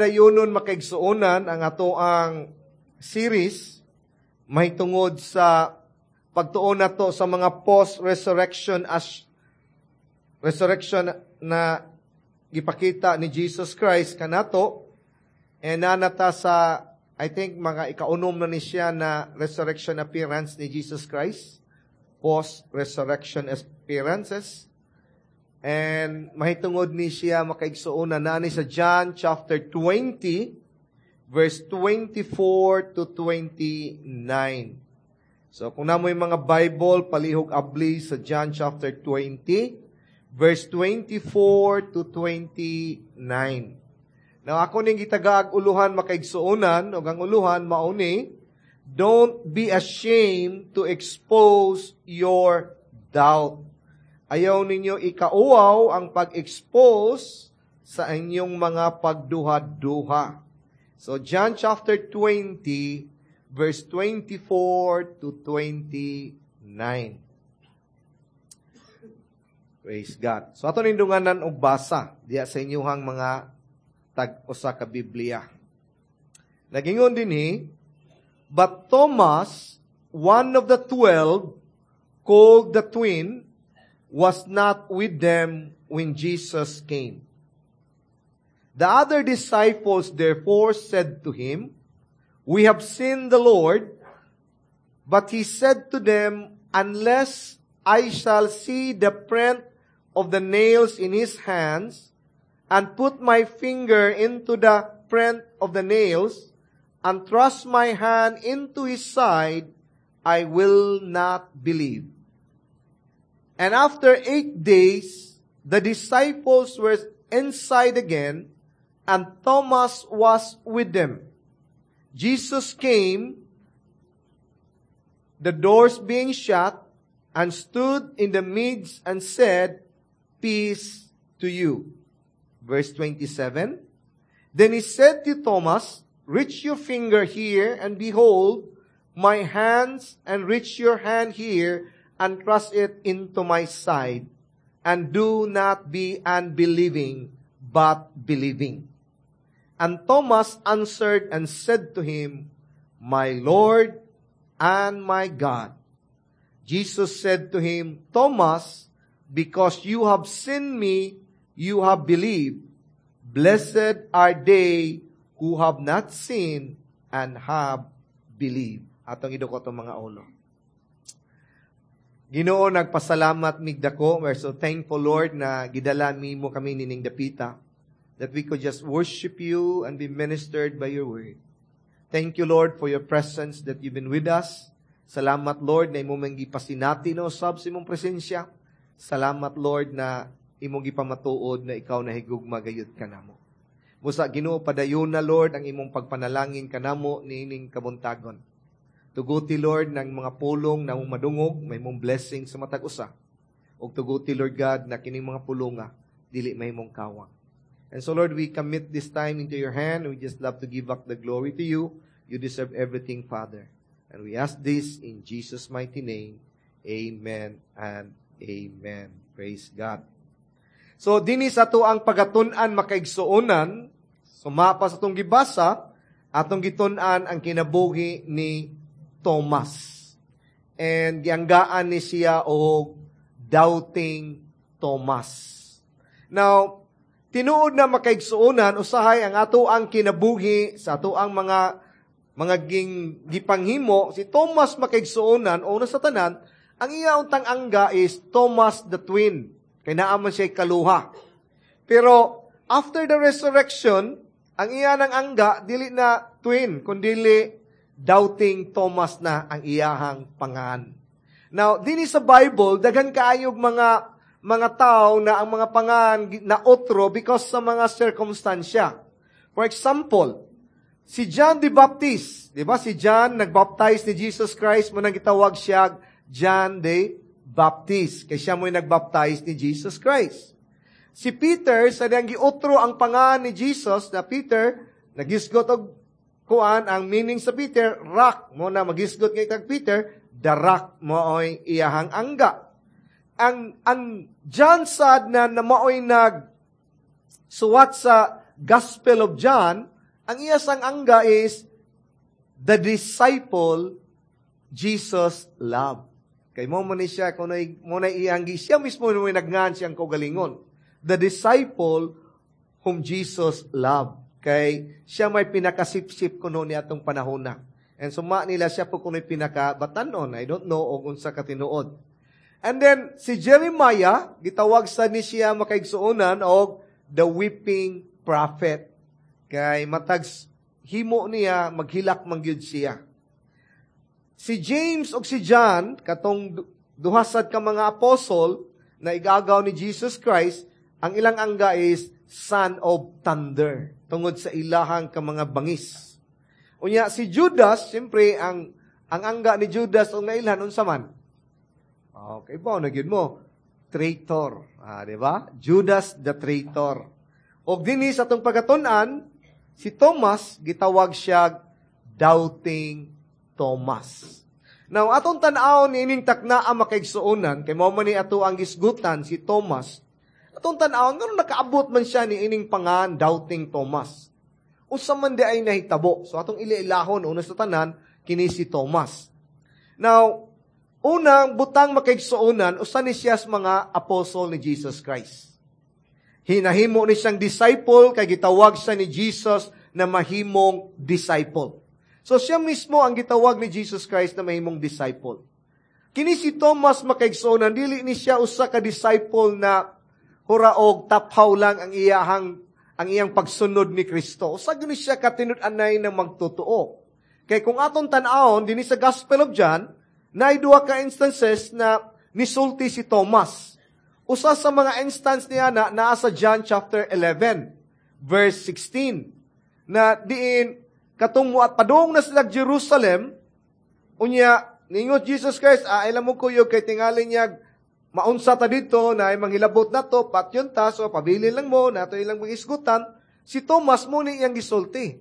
Dayunon, makaigsuonan, ang atoang series mahitungod sa pagtuon nato sa mga post-resurrection as resurrection na gipakita ni Jesus Christ kanato, and nanata sa, I think, mga ikaunom na ni siya na resurrection appearance ni Jesus Christ, post-resurrection appearances. And mahitungod ni siya, makaigsuonan, na ni sa John chapter 20 verse 24 to 29. So kung namoy mga Bible, palihog abli sa John chapter 20 verse 24 to 29. Now ako ning gitagaag uluhan, makaigsuonan, ug ang uluhan mao ni "Don't be ashamed to expose your doubt." Ayaw ninyo ikauwaw ang pag-expose sa inyong mga pagduha-duha. So John chapter 20 verse 24 to 29. Praise God. So ato nindunganan og basa diya sa inyuhang mga tag-usa ka Biblia. Nagingon dinhi, "But Thomas, one of the 12, called the Twin, was not with them when Jesus came. The other disciples therefore said to him, 'We have seen the Lord.' But he said to them, 'Unless I shall see the print of the nails in his hands, and put my finger into the print of the nails, and thrust my hand into his side, I will not believe.' And after 8 days, the disciples were inside again, and Thomas was with them. Jesus came, the doors being shut, and stood in the midst and said, 'Peace to you.'" Verse 27. "Then he said to Thomas, 'Reach your finger here and behold my hands, and reach your hand here and thrust it into my side. And do not be unbelieving, but believing.' And Thomas answered and said to him, 'My Lord and my God.' Jesus said to him, 'Thomas, because you have seen me, you have believed. Blessed are they who have not seen and have believed.'" Atong idukot ang mga ulo. Ginoo, nagpasalamat mig dako. We're so thankful, Lord, na gidala mo kami nining dapita, that we could just worship you and be ministered by your word. Thank you, Lord, for your presence, that you've been with us. Salamat, Lord, na imong gipasinati no sab sa imong presensya. Salamat, Lord, na imong gipamatuod na ikaw nahigugma gayud kanamo. Busa Ginoo, padayon na, Lord, ang imong pagpanalangin kanamo niining kabuntagon. Tuguti, Lord, ng mga pulong na mong madungog, mahimong blessing sa matag usa. Ug tuguti, Lord God, na kining mga pulonga dili mahimong kawang. And so, Lord, we commit this time into your hand. We just love to give back the glory to you. You deserve everything, Father. And we ask this in Jesus' mighty name. Amen and amen. Praise God. So, dinhi sa ato ang pagatun-an, makaigsuonan, sumapa sa atong gibasa, atong gitun-an ang kinabuhi ni Thomas. And gianggaan ni siya og Doubting Thomas. Now, tinuod na, makaigsuonan, usahay ang ato ang kinabuhi sa ato ang mga ging gipanghimo, si Thomas, makaigsuonan, una sa tanan, ang iya untang angga is Thomas the Twin. Kay naa man siya kaluha. Pero after the resurrection, ang iya ng angga dili na Twin, kundili Doubting Thomas na ang iyahang pangan. Now, dinhi sa Bible, daghan kaayog mga tao na ang mga pangan na otro because sa mga sirkumstansya. For example, si John the Baptist, di ba? Si John nagbaptize ni Jesus Christ, mao nang gitawag siya John the Baptist. Kay siya mo'y nagbaptize ni Jesus Christ. Si Peter, sa diyang giotro ang pangan ni Jesus, na Peter, nagisgot og kuan, ang meaning sa Peter, rock. Mao na magisgot ngay kag Peter, the Rock mao'y iyahang angga. Ang John sad na mao'y nag suwat sa Gospel of John, ang iya sang angga is the disciple Jesus loved. Kay mo man ni siya kunoy mo na iyang siya mismo mo nagngan siyang kaugalingon. The disciple whom Jesus loved. Kay siya may pinakasipsip kuno ni atong panahon na. And suma nila siya po kuno'y pinaka-batanon. I don't know og unsa katinuod. And then, si Jeremiah, gitawag sa ni siya, makaigsuonan, og the weeping prophet. Kay matag himo niya, maghilak man gyud siya. Si James og si John, katong duha sad ka mga apostle na igagaw ni Jesus Christ, ang ilang angga is son of thunder, tungod sa ilahang ka mga bangis. Unya si Judas, siyempre ang angga ni Judas og nailhan, unsa man? Okay ba na gyud mo? Traitor. Ah, di ba? Judas the traitor. Og dinhi sa atong pagkatun-an, si Thomas gitawag siya Doubting Thomas. Now, atong tan-awon niining takna ang makaigsuonan, kay mao man ni ato ang gisgutan si Thomas. Atong tan-awon ngano nakaabot man siya ni ining pangan Doubting Thomas. Unsa man di ay nahitabo? So atong iliilahon una sa tanan kini si Thomas. Now, unang butang, makaigsuonan, usa ni siya sa mga apostle ni Jesus Christ. Hinahimo ni siyang disciple kay gitawag siya ni Jesus na mahimong disciple. So siya mismo ang gitawag ni Jesus Christ na mahimong disciple. Kini si Thomas, makaigsuonan, dili ni siya usa ka disciple na huraog taphaw lang ang iyang pagsunod ni Kristo. Usa gyud ni siya katinud-anay na magtotoo. Kay kung atong tan-awon dinhi sa Gospel of John, naay duha ka instances na nisulti si Thomas. Usa sa mga instance niya na naa sa John chapter 11 verse 16 na diin katong at padung na sila Jerusalem, unya ningot Jesus Christ, ah, ilam mo kuyog kay tingali niya maunsa ta dito na ay manghilabot na to, patyon ta, so pabilin lang mo, nato ilang mga isgutan. Si Thomas mo ni iyang gisulti.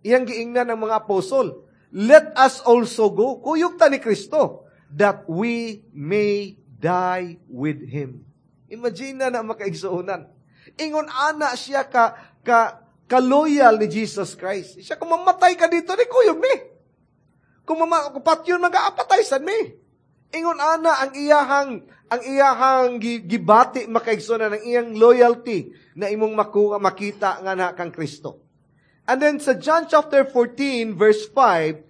Iyang giingnan ng mga apostol, "Let us also go." Kuyog ta ni Kristo. "That we may die with Him." Imagine na na, makaigsuonan. Ingon ana siya ka loyal ni Jesus Christ. Siya, kung mamatay ka dito, ni kuyog mi. Kung patyon mag-aapatay sad mi. Ingon ana ang iyahang gibati, makaigsuonan, ang iyang loyalty na imong makuha makita nga na kang Kristo. And then sa John chapter 14 verse 5,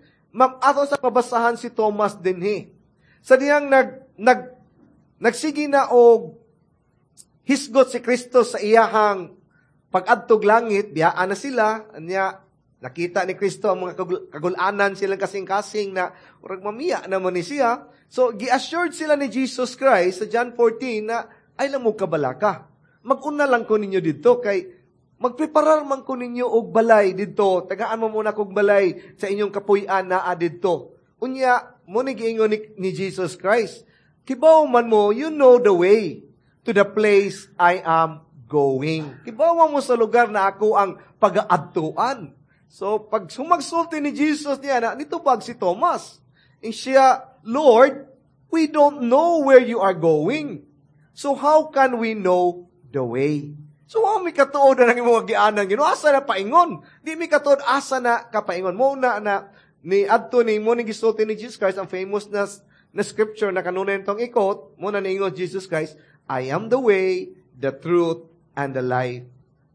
ato sa pabasahan si Thomas dinhi. Sa diyang nag nag nagsige na og hisgot si Kristo sa iyahang pag-adtog langit, biyaan na sila, anya nakita ni Kristo ang mga kagulanan silang kasing-kasing na murag mamiya naman ni siya. So, gi-assured sila ni Jesus Christ sa John 14 na ay lang mo kabalaka. Mag-una lang ko ninyo dito kay magpreparar man ko ninyo og balay dito. Tagaan mo muna kog balay sa inyong kapuy-an naa didto. Unya, mo ni giingon ni Jesus Christ, "Kibaw man mo, you know the way to the place I am going." Kibaw mo sa lugar na ako ang pagaadtuan. So, pag sumagsulti ni Jesus niya na, nitubag si Thomas. And siya, "Lord, we don't know where you are going. So how can we know the way?" So, wa mi katuod na nang imong gianan Ginoo? Asa na paingon? Di mi katuod asa na kapaingon. Mo na na ni adto ni mo ni gisulti ni Jesus Christ ang famous na scripture na kanunay tong ikot, mo na niingon Jesus Christ, "I am the way, the truth, and the life.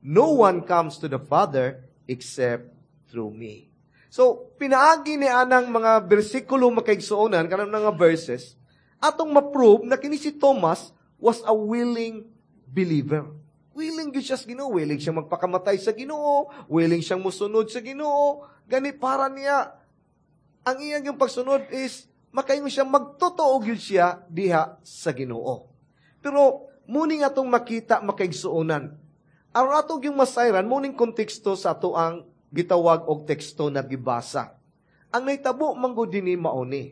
No one comes to the Father except through me." So, pinaagi ni anang mga bersikulo, makaigsuonan, kanang mga verses, atong ma-prove na kini si Thomas was a willing believer. Willing gyud siya sa Ginoo, willing siya magpakamatay sa Ginoo, willing siyang musunod sa Ginoo. Gani para niya ang iyang yung pagsunod is makaingon siya magtotoo gyud siya diha sa Ginoo. Pero muning atong makita, makaigsuonan. Aron ato yung masayran, muning konteksto sa ato ang gitawag og teksto na gibasa. Ang nahitabo man gud dinhi mao ni.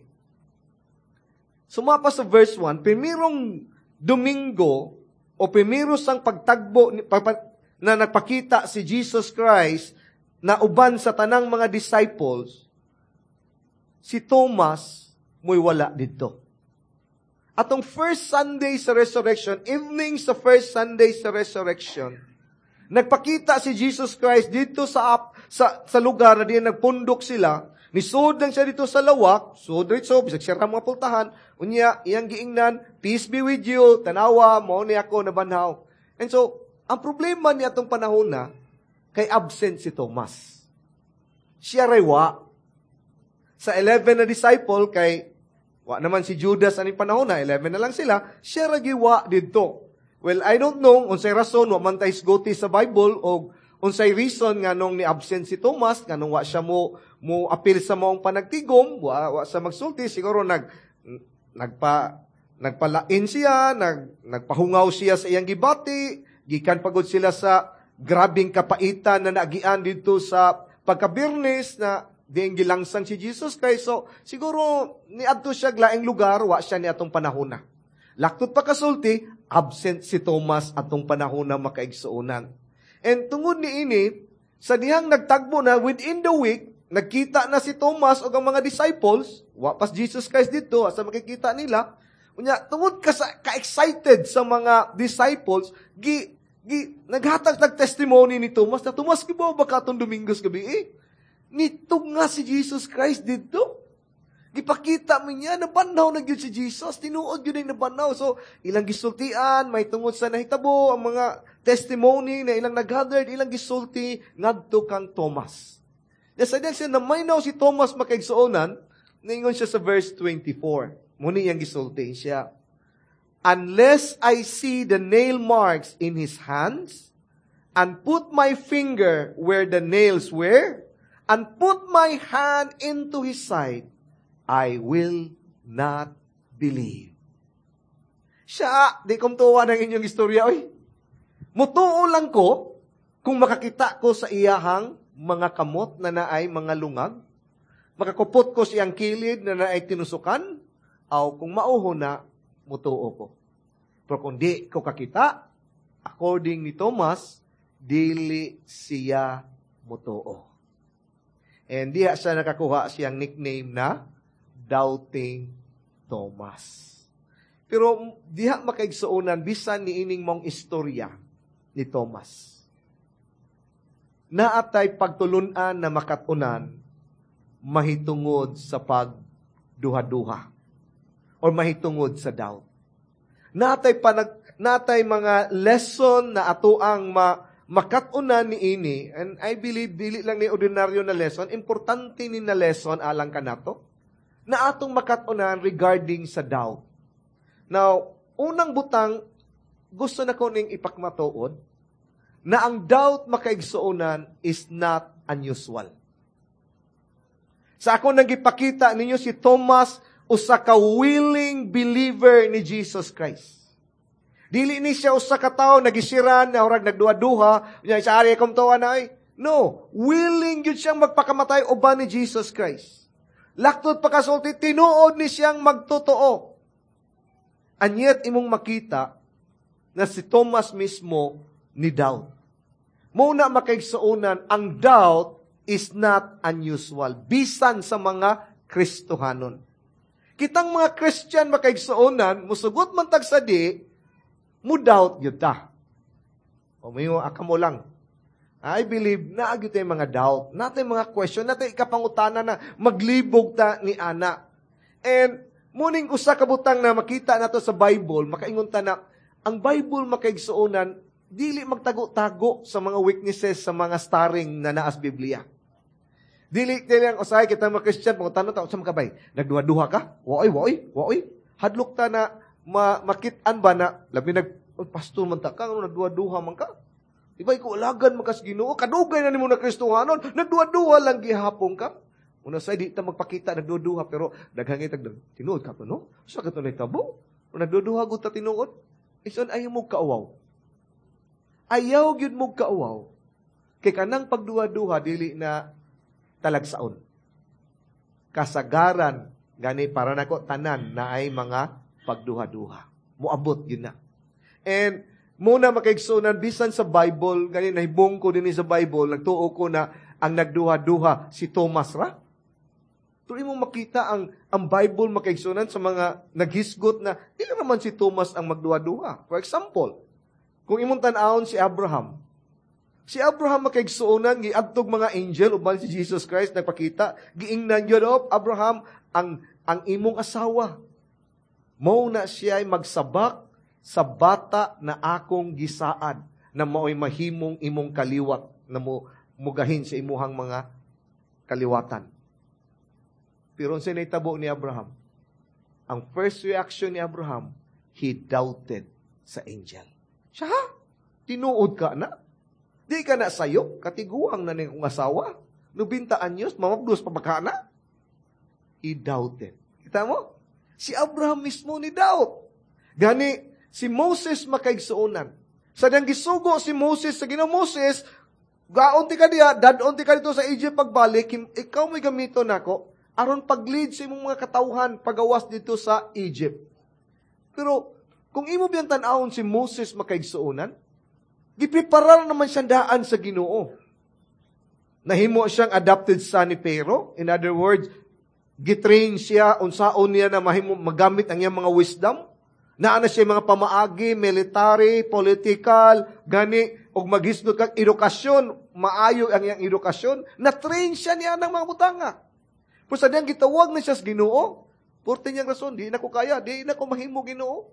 Sumapa sa verse 1, primerong Domingo o primero sang pagtagbo na nagpakita si Jesus Christ na uban sa tanang mga disciples, si Thomas mo'y wala dito. Atong first Sunday sa resurrection, evening sa first Sunday sa resurrection, Nagpakita si Jesus Christ dito sa lugar na diyan nagpundok sila. Nisud lang siya dito sa lawak, sud dito, bisag siya mga pultahan. Unya, iyang giingnan, "Peace be with you, tanawa, mao ni ako nabanhaw." And so, ang problema niya atong panahon na, kay absent si Thomas. Siya ray wa. Sa 11 na disciple, kay wa naman si Judas aning panahon na, 11 na lang sila, siya ra giwa didto. Well, I don't know unsay rason, wa man tay hisgoti sa Bible og unsay reason nga nung ni-absent si Thomas, nga nung wa siya mo apil sa maong panagtigom, wa sa magsulti, siguro nagpalain siya, nagpahungaw siya sa iyang gibati, gikan pagod sila sa grabing kapaitan na naagian dito sa pagkabirnes na diing gilangsang si Jesus Christ. So, siguro niadto siya laing lugar, wa siya ni atong panahon na. Laktod pa kasulti, absent si Thomas atong panahon na, makaigsuonan. And tungod ni ini, sa dihang nagtagbo na within the week, nagkita na si Thomas o ang mga disciples, wa pas Jesus Christ dito, asa makikita nila. Unya, tungod ka sa, ka-excited sa mga disciples, gi, gi, naghatag tag testimony ni Thomas na, "Thomas, kibaw ba ka atong Domingos gabi eh? Nitog nga si Jesus Christ dito. Gipakita mi niya, nabanhaw na gyud si Jesus, tinuod gyud ang nabanhaw." So, ilang gisultian, may tungod sa nahitabo, ang mga testimony na ilang nag-gathered, ilang gisulti ngadto kang Thomas. Sa diyang siya, namaynaw si Thomas, makaigsuonan, ningon siya sa verse 24. Muni iyang gisulti siya, "Unless I see the nail marks in his hands, and put my finger where the nails were, and put my hand into his side, I will not believe." Siya, di kong tuwa ng inyong istorya, oy. Mutuo lang ko kung makakita ko sa iyahang mga kamot na naay mga lungag, makakupot ko siyang kilid na naay tinusukan, aw kung mauho na, mutuo ko. Pero kung di ko kakita, according ni Thomas, dili siya mutuo. And diha siya nakakuha siyang nickname na Doubting Thomas. Pero diha, makaigsuonan, bisan ni ining mong istorya ni Thomas, naatay pagtulunan na makatunan mahitungod sa pagduha-duha or mahitungod sa doubt. Natay mga lesson na ato ang makatunan ni ini, and I believe dili lang ni ordinaryo na lesson, importante ni na lesson alang kanato na atong makatunan regarding sa doubt. Now, unang butang, gusto na ko ning ipakmatuod, na ang doubt, makaigsuonan, is not unusual. Sa ako nang gipakita ninyo, si Thomas usa ka willing believer ni Jesus Christ. Dili ni siya usa ka tawo nagisiran na orag nagduha-duha, unya sa ari akong tuwa na ay. No, willing gyud siyang magpakamatay uban ni Jesus Christ. Laktod pakasulti, tinuod ni siyang magtotoo. And yet, imong makita na si Thomas mismo ni doubt. Muna, makaigsuonan, ang doubt is not unusual bisan sa mga Kristohanon. Kitang mga Christian, makaigsuonan, musugot man tag sa di, mo doubt gyud ta. O may akamo lang. I believe na gyud tay mga doubt, natay mga question, natay ikapangutana na maglibog ta ni ana. And muning usa ka butang na makita nato sa Bible, makaingon ta na ang Bible, makaigsuonan, dili magtago-tago sa mga weaknesses sa mga starring na naas Biblia. Dili dili ang usahay kita mga Christian pangutana ta, "Unsa man kabay? Nagduha-duha ka?" Waoy, waoy, waoy. Hadlok ta na makit-an ba na labi nag oh, pastor man ta ka, ano nagduha-duha man ka? Di ba ikaw alagan man kas Ginoo? Kadugay na nimo na Kristohanon, nagduha-duha lang gihapon ka. Una say di ta magpakita nagduha, pero daghang itag tinuod ka to, no? Sa ka to nahitabo? Nagduduha gud ta tinuod. Ison ayaw mo kauwaw. Ayaw gyud mo kauwaw. Kay kanang pagduha-duha dili na talagsaon. Kasagaran gani para nako tanan na ay mga pagduha-duha. Moabot gyud na. And muna, makaigsuonan, bisan sa Bible, gani nahibong ko dinhi sa Bible, nagtuo ko na ang nagduha-duha si Thomas ra. Pero imong makita ang Bible, makaigsuonan, sa mga naghisgot na dili naman si Thomas ang magduha-duha. For example, kung imong tan-awon si Abraham, Si Abraham, makaigsuonan, giadtog mga angel uban si Jesus Christ nagpakita, giingnan yun, "Oh, Abraham, ang imong asawa, mao na siya ay magsabak sa bata na akong gisaad, na mao'y mahimong imong kaliwat, na mo mugahin sa imuhang mga kaliwatan." Pero unsay nahitabo ni Abraham? Ang first reaction ni Abraham, he doubted sa angel. Siya, "Ha? Tinuod ka na? Di ka na sayo, katiguang na ning asawa. 90 anyos, mamapdos pa ba ka na?" He doubted. Kita mo? Si Abraham mismo ni doubt. Gani, si Moses, makaigsuonan. Sa diyang gisugo si Moses sa Ginoo, "Moses, gaon ti ka diya, dadon ti ka dito sa Egypt pagbalik, ikaw may gamito nako, aron pag-lead sa imong mga katawhan pagawas dito sa Egypt." Pero, kung imo biyang tan-awon si Moses, makaigsuonan, gipreparar naman siya daan sa Ginoo. Nahimo siyang adopted son ni Pharaoh. In other words, gitrain siya unsaon niya na mahimo magamit ang iyang mga wisdom. Naa na siya mga pamaagi, military, political, gani, og maghisgot kag edukasyon, maayo ang iyang edukasyon, na-train siya niya ng mga butanga. Pero sa diyang gitawag na siya sa Ginoo, porte niyang rason, "Di na ko kaya, di na ko mahimo, Ginoo."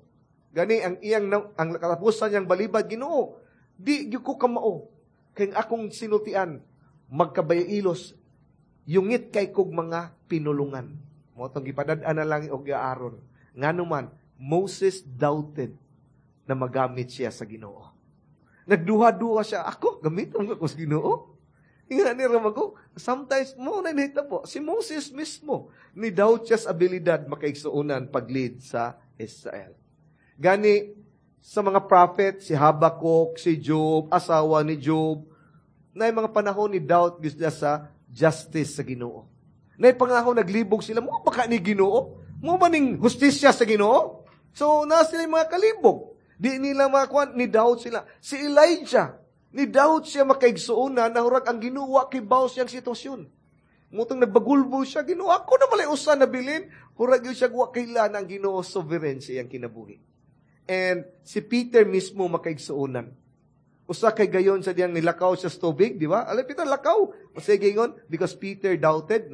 Gani ang iyang ang katapusan niyang balibad, "Ginoo, di gyud ko kamao. Kay akong sinultian, magkabayailos, yungit kay kog mga pinulungan." Mao tong gipadad-an na lang og Aaron. Ngano man, Moses doubted na magamit siya sa Ginoo. Nagduha-duha siya, "Ako, gamiton ko sa Ginoo?" Nga ni Ramago, sometimes mo na nahitabo. Si Moses mismo, ni doubt siya sa abilidad, makaigsuonan, pag-lead sa Israel. Gani, sa mga prophet, si Habakkuk, si Job, asawa ni Job, na mga panahon ni doubt sila sa justice sa Ginoo. Na pangahon naglibog sila, "Mo ba ka ni Ginoo? Mo ba ning hustisya sa Ginoo?" So, na sila yung mga kalibog. Di nila makuan, ni doubt sila. Si Elijah, ni doubt siya, makaigsuonan, na hurag ang Ginoo kibaw siyang sitwasyon. Mutong nagbagulbo siya, "Ginoo, ako na malay usa na bilin." Hurag yun siya, wa kailan ang Ginoo sovereign sa iyang kinabuhi. And si Peter mismo, makaigsuonan. Usa kay gayon sa diyang nilakaw siya sa tubig, di ba? "Alay, Peter, lakaw." Sige ingon, because Peter doubted,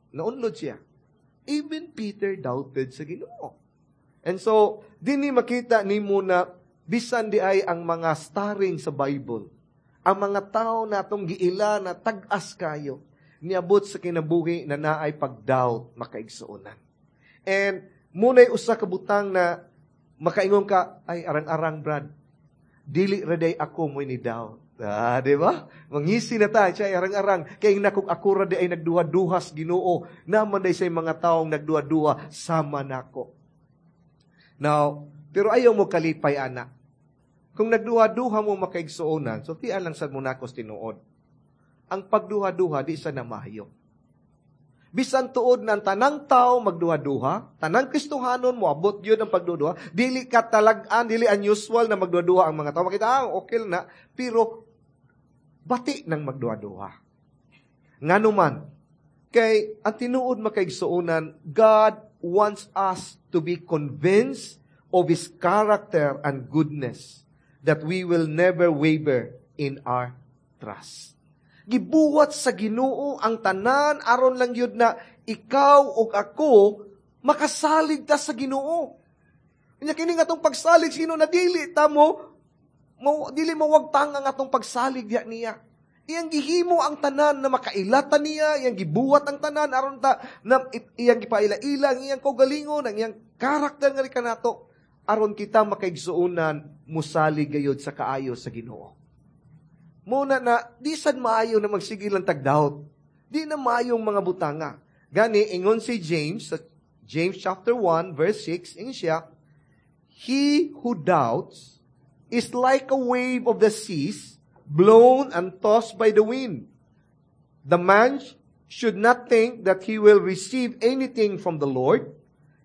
naunlod siya. Even Peter doubted sa Ginoo. And so, dinhi makita nimo na bisan di ay ang mga starring sa Bible, ang mga tao na atong giila na tag-as kayo, niabot sa kinabuhi na naay pag-doubt, makaigsuonan. And muna'y usa ka butang na makaingon ka, "Ay, arang-arang, Brad, dili ra day ako mo'y ni doubt." Ah, di ba? Mangisi na ta, siya arang-arang. Kay nakog ako ra di ay nagduha-duha sa Ginoo, naman day say mga taong nagduha-duha sama nako. Now, pero ayaw mo kalipay ana. Kung nagduha-duha mo, makaigsuonan, so tian lang sad mo nako tinuod. Ang pagduha-duha di sa namayo. Bisan tuod na ang tanang tao magduha-duha, tanang Kristohanon mo abot yun ang pagduha, dili ka talag-an, dili unusual na magduha-duha ang mga tao. Makita, ah, okay na, pero bati nang magduha-duha. Ngano man, kay ang tinuod, makaigsuonan, God wants us to be convinced of His character and goodness, that we will never waver in our trust. Gibuhat sa Ginoo ang tanan aron lang yun na ikaw ug ako makasalig ta sa Ginoo. Nya kini nga atong pagsalig sa Ginoo na dili ta mo dili mo wagtang ang atong pagsalig diya niya. Iyang gihimo ang tanan na makailata niya, iyang gibuhat ang tanan aron ta na iyang gipaila-ila ang iyang kaugalingon, ang iyang karakter nga kanato aron kita, makaigsuonan, musalig gayod sa kaayo sa Ginoo. Muna na, di sad maayo na magsige lang tag-doubt. Di na maayong mga butanga. Gani, ingon si James, sa James chapter 1, verse 6, ingon siya, "He who doubts is like a wave of the seas, blown and tossed by the wind. The man should not think that he will receive anything from the Lord.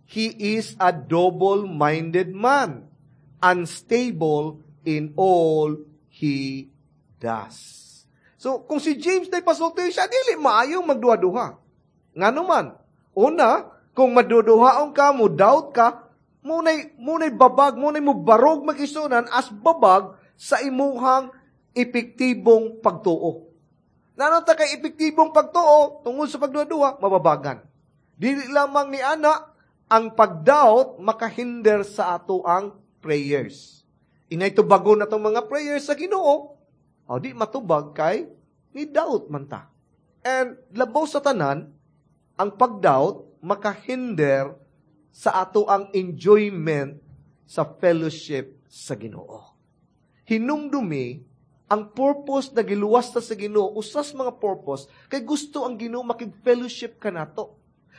He is a double-minded man, unstable in all he does." So, kung si James na ipasulti siya, dili maayong magduha-duha. Ngano man, una, kung maduduhaon ka, mo doubt ka, munay babag, munay mo barog magisunan as babag sa imuhang Epektibong pagtuo. Naa na ta kay epektibong pagtuo, tungod sa pagduha-duha, mababagan. Dili lamang ni ana, ang pagdoubt makahinder sa ato ang prayers. Inay tubagon na itong mga prayers sa Ginoo, o di matubag kay ni doubt man ta. And labaw sa tanan, ang pagdoubt makahinder sa ato ang enjoyment sa fellowship sa Ginoo. Hinumdumi ang purpose na giluwas ta sa Ginoo, usas mga purpose, kay gusto ang Ginoo makig-fellowship kanato.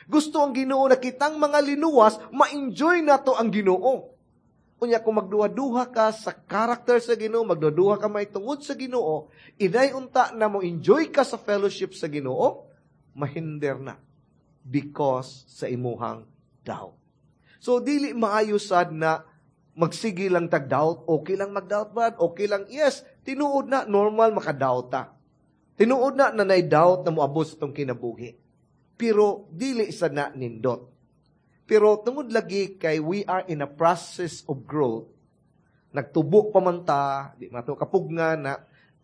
Gusto ang Ginoo na kitang mga linuwas, ma-enjoy nato ang Ginoo. Unya kung magduha-duha ka sa character sa Ginoo, magduha-duha ka may tungod sa Ginoo, inay unta na mo enjoy ka sa fellowship sa Ginoo, mahinder na because sa imuhang doubt. So dili maayo sad na magsige lang tag doubt, okay lang mag-doubt, Brad, okay lang. Yes, tinuod na normal maka-doubt ta. Tinuod na na nay doubt na moabot sa atong kinabuhi. Pero dili sa na nindot. Pero tungod lagi kay we are in a process of growth, nagtubo pa man ta, di man to kapugna na,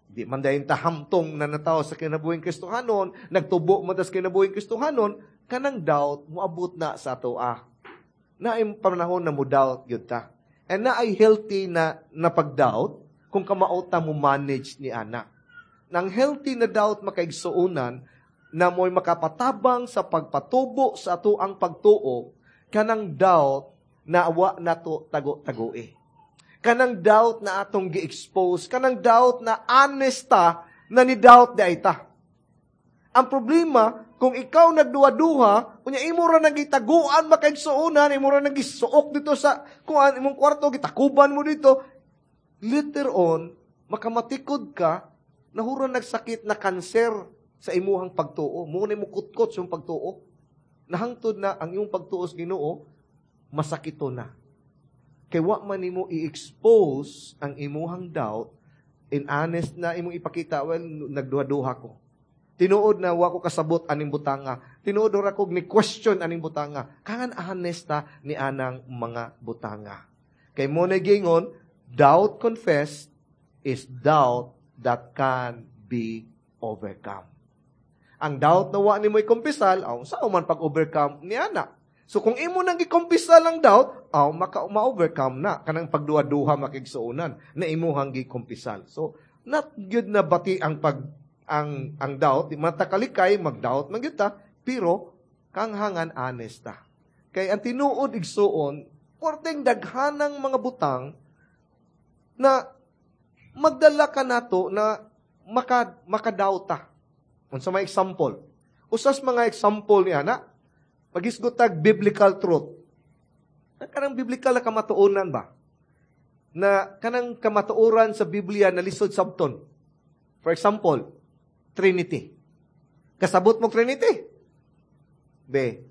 di man dayon ta hamtong na natawo sa kinabuhing Kristohanon, nagtubo man ta sa kinabuhing Kristohanon, kanang doubt moabot na sa ato ah. Naay panahon na mo doubt gyud ta. And naay healthy na napag-doubt kung kamao ta mo manage ni ana. Nang healthy na doubt, makaigsuonan, na mo'y makapatabang sa pagpatubo sa ato ang pagtuo, kanang doubt na wa nato tago-tagoe. Kanang doubt na atong gi-expose, kanang doubt na honest ta, na ni doubt di ay ta. Ang problema, kung ikaw nagduha-duha, unya imo ra nang gitaguan, makaigsuonan, imo ra nang gisuok dito sa kuan imong kwarto, gitakuban mo dito, later on, makamatikod ka, nahura nagsakit na kanser sa imuhang pagtuo. Mo na mo kutkot sa imong pagtuo. Nahangtod na ang imong pagtuo sa Ginoo, masakito na. Kay wa man nimo i-expose ang imuhang doubt, in honest na imong ipakita, "Well, nagduha-duha ko. Tinuod na wa ko kasabot aning butanga. Tinuod ra ko ni question aning butanga." Kangan honest ta ni anang mga butanga. Kay mo na gingon, doubt confessed is doubt that can be overcome. Ang doubt na wa nimo ikumpisal, aw sa man pag-overcome ni ana? So kung imo nang gikumpisal ang doubt, aw maka ma-overcome na kanang pagduha-duha, makigsuonan, na imuhang gikumpisal. So not good na bati ang pag ang doubt, di man ta kalikay, mag-doubt man gyud ta, pero kanghangan honest ta. Kay ang tinuod, igsuon, porteng daghanang mga butang na magdala ka nato na makadoubt ta. Unsa may example? Usas mga example ni ana, magisgot tag biblical truth. Kanang biblical na kamatuonan ba? Na kanang kamatuoran sa Biblia na lisod sabton. For example, Trinity. Kasabot mo Trinity? Be.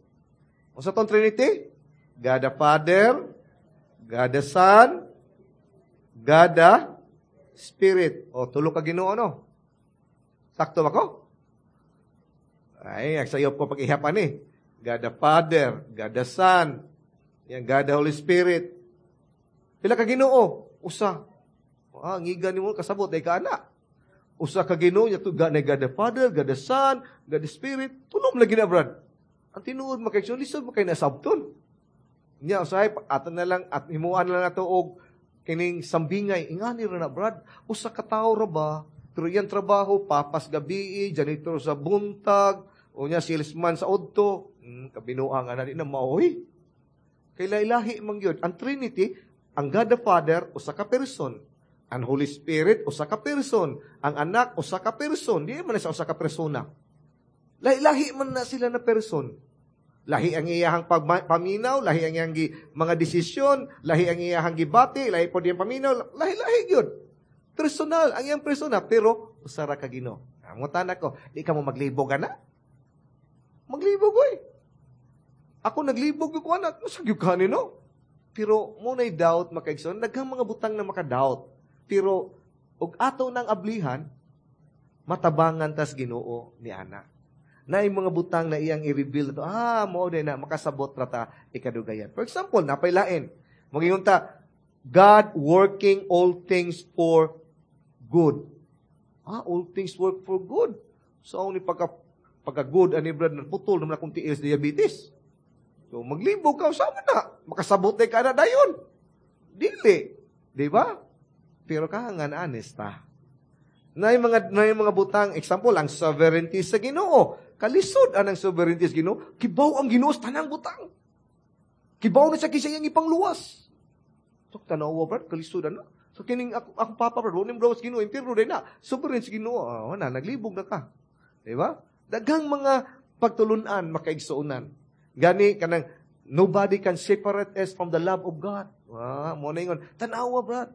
Unsa tong Trinity? God the Father, God the Son, God the Spirit. O, tulo ka Ginoo, no? Sakto ba ko? Ay, nagsayop ko pag-ihapan eh. God the Father, God the Son, yan, God the Holy Spirit. Pila ka Ginoo? Usa. Ah, ngiga nimo kasabot ay ka ana. Usa ka Ginoo nya to, God, God the Father, God the Son, God the Spirit. Tulom lagi na, Brad. Ang tinuod, makay lisod makay nasabton. Nya usahay ato na lang at himuan na lang ato og kining sambingay, ingani ra na, Brad. Usa ka tawo ra ba? Pero iyang trabaho, papas gabi, janitor sa buntag, unya salesman sa udto. Kabinuang nga na di na maoy. Kay lahi man gyud. Ang Trinity, ang God the Father, usa ka person. Ang Holy Spirit, usa ka person. Ang Anak, usa ka person. Di man na sa usa ka persona. Lahi-lahi man na sila na person. Lahi ang iyahang paminaw, lahi ang iyang mga desisyon, lahi ang iyahang gibati, lahi po diyang paminaw, lahi-lahi gyud. Personal, ang iyang persona, pero usa ra ka Ginoo. Amutan ako, di ka mo maglibog ana? Maglibog oy. Ako naglibog ko anak, masag ka no? Pero mo nay doubt, makaigsoon, daghang mga butang na maka-doubt. Pero og ato nang ablihan, matabangan tas Ginoo ni ana. Na mga butang na iyang i-reveal to, mo din na makasabot ra ta ikadugayan. For example, napaylain. Magingon ta, God working all things for good. Ah, all things work for good. So, ni pagka good ani, brad, naputol naman akong tiil sa diabetes. So, maglibog ka, sama na. Makasabot ka na dayon. Dili. Di ba? Pero kahangan, honest ta. Na yung mga butang, example, ang sovereignty sa Ginoo. Kalisod anang sovereignty sa Ginoo. Kibaw ang Ginoo sa tanang butang. Kibaw na siya kinsa iyang ipangluwas. So, tanawa, brad, kalisod ano? So, kining ako, akong papa, brad, wa sa Ginoo, impiro din na. Sovereign sa Ginoo. Ah, na, naglibog na ka. Di ba? Daghang mga pagtulunan, makaigsuonan. Gani, kanang, nobody can separate us from the love of God. Ah, mo na ingon. Tanawa, brad.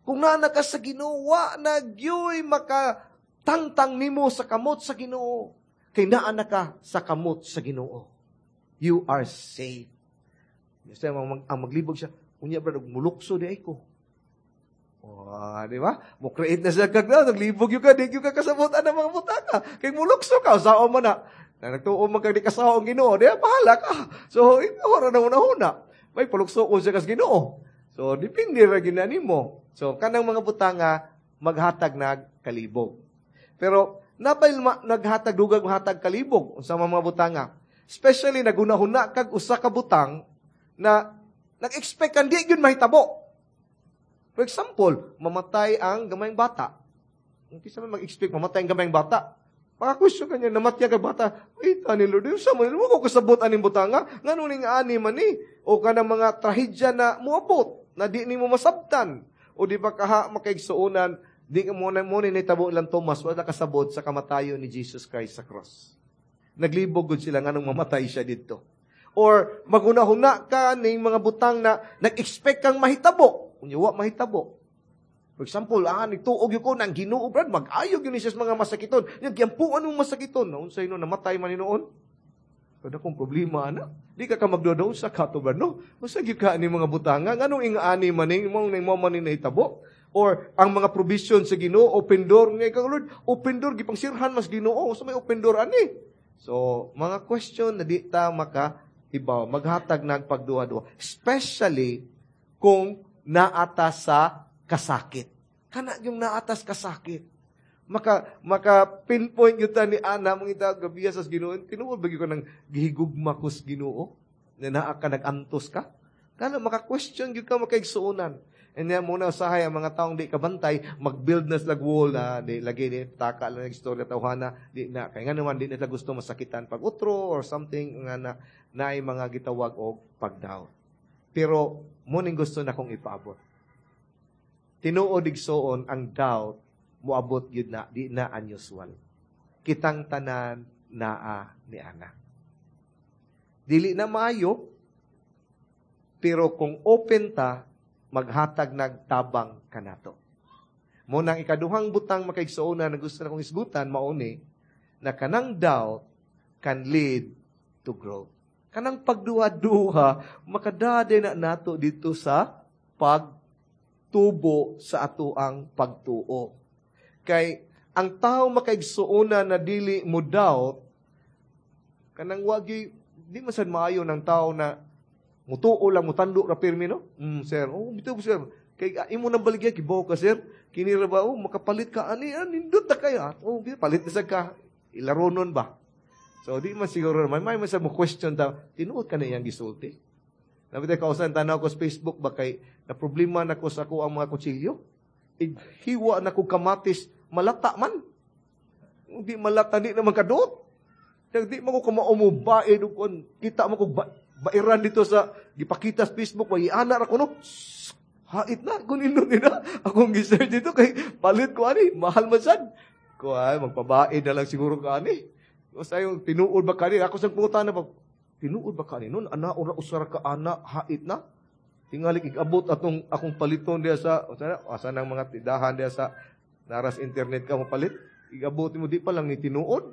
Kung naa na ka sa Ginoo, wa na gyuy makatangtang nimo sa kamot sa Ginoo. Kay naa na ka sa kamot sa Ginoo. You are safe. Kasi ang maglibog siya, unya, brad, mulukso di ay ko. Oh, di ba? Mo create na siya kag naglibog gyud ka, di gyud ka kasabot ang mga butanga. Kay mulukso ka, sao man na. Na nagtuo man kag di kasawa ang Ginoo, di bahala ka. So, ikaw ra na una-una. May palukso ko siya kas Ginoo. So, depende ra gyud nimo. So, kanang mga butanga maghatag nag kalibog. Pero napay naghatag dugag mahatag kalibog unsa mga butanga. Especially nagunahuna kag usa ka butang na nag-expect kan di gyud mahitabo. For example, mamatay ang gamayng bata. Kinsa man mag-expect mamatay ang gamayng bata? Maka-question ka niya, namatya ka bata. Wait, ani Lord, yung sa mo, ko kasabot aning butanga. Ngano ning ani man ni? O kanang mga trahedya na muabot, na di nimo masabtan. O di ba kaha makaigsuonan, di ka mo na mo ni nitabo lang Thomas, wala kasabot sa kamatayon ni Jesus Christ sa cross. Naglibog gud sila nganong mamatay siya didto. Or magunahuna ka ning mga butang na nag-expect kang mahitabo. Unya wa mahitabo. For example, nagtuog gyud ko nang Ginoo, brad, mag-ayo gyud ni siya sa mga masakiton. Nya gyampuan mo masakiton. Naunsay no namatay man ni noon? Kada kong problema ana. Di ka magduda sa kato, brad, no? Unsa gyud ka ani mga butanga? Nganong ing-ani man ning mo ning mo man ni nahitabo? Or ang mga provision sa Ginoo, open door ngay ka Lord, open door gipangsirhan mas Ginoo, sa may open door ani. So, mga question na di ta maka ibaw, maghatag nagpagduha-duha. Especially kung naata sa kasakit. Kana yung naatas kasakit. Maka pinpoint gyud ta ni ana mong ita gabiya sa Ginoo. Tinuod ba gyud ko nang gihigugma ko sa Ginoo? Na naa ka nag-antos ka? Kana maka-question gyud ka, makaigsuonan. And yan muna usahay ang mga taong di kabantay, mag-build na sila wall na di lagi di taka lang istorya tawhana, di na kay nga naman di nila gusto masakitan pag utro or something nga na naay mga gitawag og pag-doubt. Pero mo ning gusto na kong ipaabot. Tinuod, igsoon, ang doubt moabot gyud na, di na unusual. Kitang tanan naa ni ana. Dili na maayo, pero kung open ta, maghatag nagtabang kanato. Mo nang ikaduhang butang, makaigsuonan, na gusto na kong isgutan, mauni na kanang doubt can lead to growth. Kanang pagduha-duha, makadade na nato dito sa pagtubo sa atoang pagtuo. Kay ang tao, makaigsuonan, na dili mo doubt, kanang wagi di man sad maayo ng tao na mutuo lang, mutando ra pirmi, no? Sir. Oh, bitaw, sir. Kay imo nang baligya, kibaw ka, sir. Kini ra ba, oh, makapalit ka ani, nindot na kayo. Oh, palit na sad ka. Ilaronon ba? So, di man siguro, may man sa mo question ta, tinuod ka na iyang gisulti. Nabitay kausan tanaw ko sa Facebook ba kay na problema na ko sa ako ang mga kutsilyo. Hiwa na ko kamatis, malata man. Hindi malata, di naman kaduot. Di man ko kamao mo bae, kita mo ko ba, bairan dito sa gipakita sa Facebook, may ana ra ko no. Hait na, kung nindot nila. Akong gisearch dito kay palit ko ani, mahal man sad. Ko ay magpabae na lang siguro ka ani. O sa yung tinuod ba kani? Ako sa punta na ba, tinuod ba kani nun? Ana ora usara ka ana, hait na. Tingali igabot atong akong paliton diya sa asa nang mga tindahan diya sa naras internet ka mopalit. Igabot mo di pa lang ni tinuod.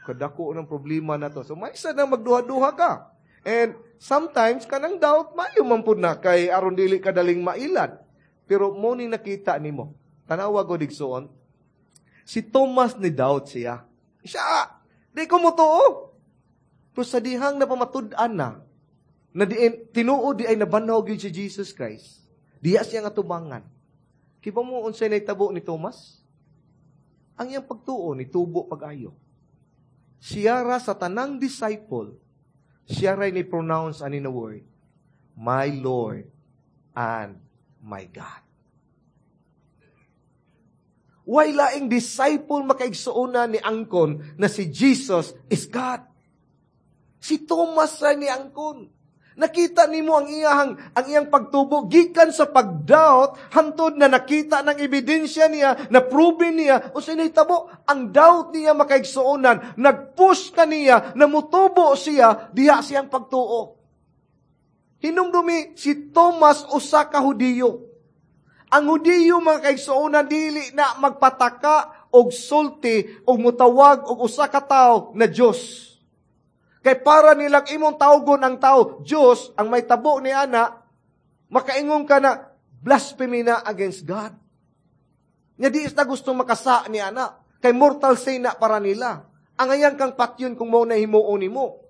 Kadako ng problema na to. So may isa na magduha-duha ka. And sometimes kanang doubt maayo man pud na kay aron dili ka daling mailad. Pero mo ni nakita nimo. Tanawa ko, igsoon. Si Thomas ni doubt siya. Siya, di ko motuo. Pero sa dihang napamatud-an na, na diin, tinuod di ay nabanhaw gyud si Jesus Christ. Diya siya nga tubangan. Kiba mo unsay nahitabo ni Thomas? Ang iyang pagtuo ni tubo pag-ayo. Siya ra sa tanang disciple, siya ra ni pronounce ani na word, "My Lord and my God." Way laing disciple, makaigsuonan, ni angkon na si Jesus is God. Si Thomas ra ni angkon. Nakita nimo ang iyang pagtubo gikan sa pagdoubt hantod na nakita ng ebidensya niya, na proven niya. Unsay nahitabo? Ang doubt niya, makaigsuonan, nagpush kaniya na mutubo siya diha siyang pagtuo. Hinumdumi, si Thomas usa ka Hudiyo. Ang Hudiyo, mga kaigsuonan, dili na magpataka og sulti og mutawag og usa ka tawo na Dios. Kay para nilang imong tawgon ang tao, Diyos, ang may tabo ni ana, makaingon ka na blasphemy na against God. Nga di na gusto makasa ni ana. Kay mortal sin na para nila. Angayan kang patyon kung mao na himuon nimo.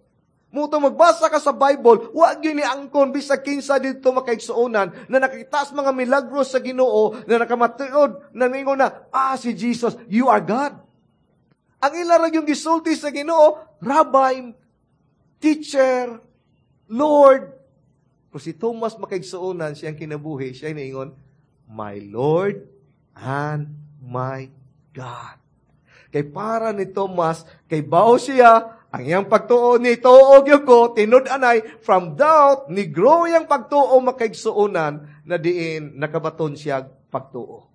Muto magbasa ka sa Bible, wa gyud ni angkon bisag kinsa didto, makaigsuonan, na nakita sa mga milagro sa Ginoo, na nakamatuod, na ningon na, "Ah, si Jesus, you are God." Ang ila ra yung gisulti sa Ginoo, "Rabbi, Teacher, Lord." Pero si Thomas, makaigsuonan, siyang kinabuhi, siya niingon, "My Lord and my God." Kay para ni Thomas, kay bao siya, ang iyang pagtuo ni tuo gyud ko, tinud-anay, from doubt, ni grow iyang pagtuo, makaigsuonan, na diin nakabaton siya pagtuo.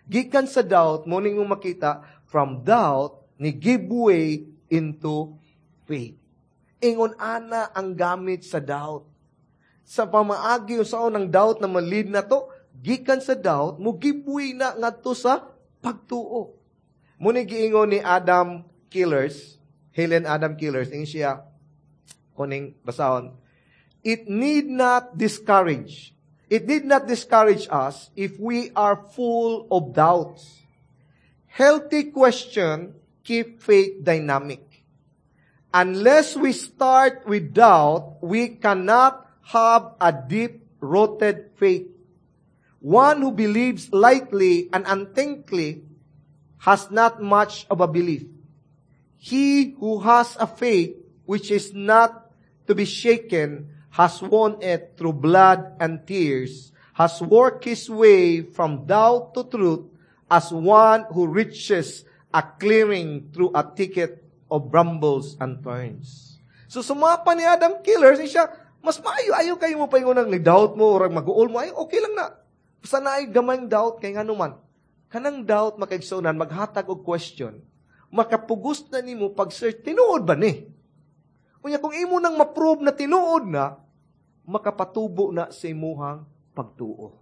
Gikan sa doubt, mo ning makita, from doubt, ni give way into faith. Ingon ana ang gamit sa doubt. Sa pamaagi sa ng doubt na malid na to, gikan sa doubt, mo give way na ngadto sa pagtuo. Muni giingon ni Adam Killers, Helen Adam Killers, ingon siya, kuning basahon, "It need not discourage. It need not discourage us if we are full of doubts. Healthy question keep faith dynamic. Unless we start with doubt, we cannot have a deep-rooted faith. One who believes lightly and unthinkingly has not much of a belief. He who has a faith which is not to be shaken has won it through blood and tears, has worked his way from doubt to truth as one who reaches a clearing through a thicket of brambles and thorns." So sumapa ni Adam Killers, siya, mas maayo ayo kayo mo paingon ng doubt mo or mag-uol mo, ay okay lang na. Basta naay gamayng doubt, kay ngano man, kanang doubt, makaigsuonan, maghatag og question, makapugos na nimo pag-search, tinuod ba ni? Unya kung imo nang ma-prove na tinuod na, makapatubo na sa imuhang pagtuo.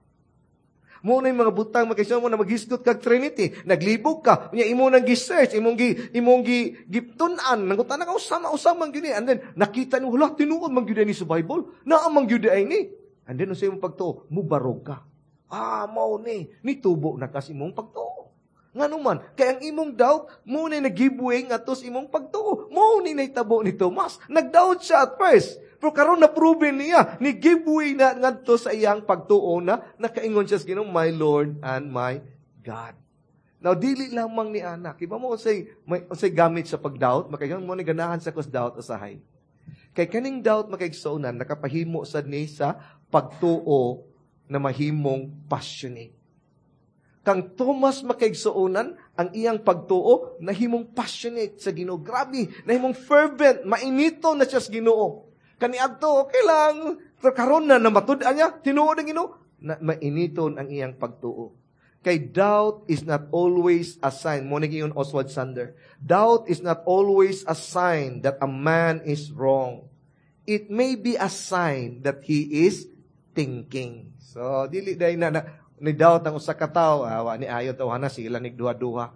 Mo na yung mga butang, makaigsuonan, mo na maghisgot kag Trinity, naglibog ka, unya imo nang gi-search, imong gi gitun-an, nangutan ka usama usama man gyud ni, and then nakita nimo, hala, tinuod man gyud ni sa Bible, naa man gyud ay ni. And then sa imong pagtuo, mubarog ka. Ah, mao ni, nitubo na kasi imong pagtuo. Ngano man, kay ang imong doubt, mo ni nag-give way ngadto sa imong pagtuo. Mo ni nahitabo ni Tomas. Nag-doubt siya at first. Pero karon na proven niya, ni give way na ngadto sa iyang pagtuo na nakaingon siya sa Ginoo, "My Lord and my God." Now, dili lamang ni anak. Iba mo unsay gamit sa pag-doubt, makaingon mo ni ganahan sa kus doubt usahay. Kay kaning doubt, makaigsuonan, nakapahimo sad ni sa pagtuo na mahimong passionate. Kang Thomas, makaigsuonan, ang iyang pagtuo nahimong passionate sa Ginoo. Grabe, nahimong fervent, mainito na siya sa Ginoo. Kaniadto okay lang, pero karon na namatud-an niya, tinuod ang Ginoo, na mainiton ang iyang pagtuo. Kay doubt is not always a sign. Mo ni Oswald Sander. "Doubt is not always a sign that a man is wrong. It may be a sign that he is thinking." So, dili dahil na ni doubt ang usa ka tawo, ah, wa ni ayo tawhana sila nagduha-duha.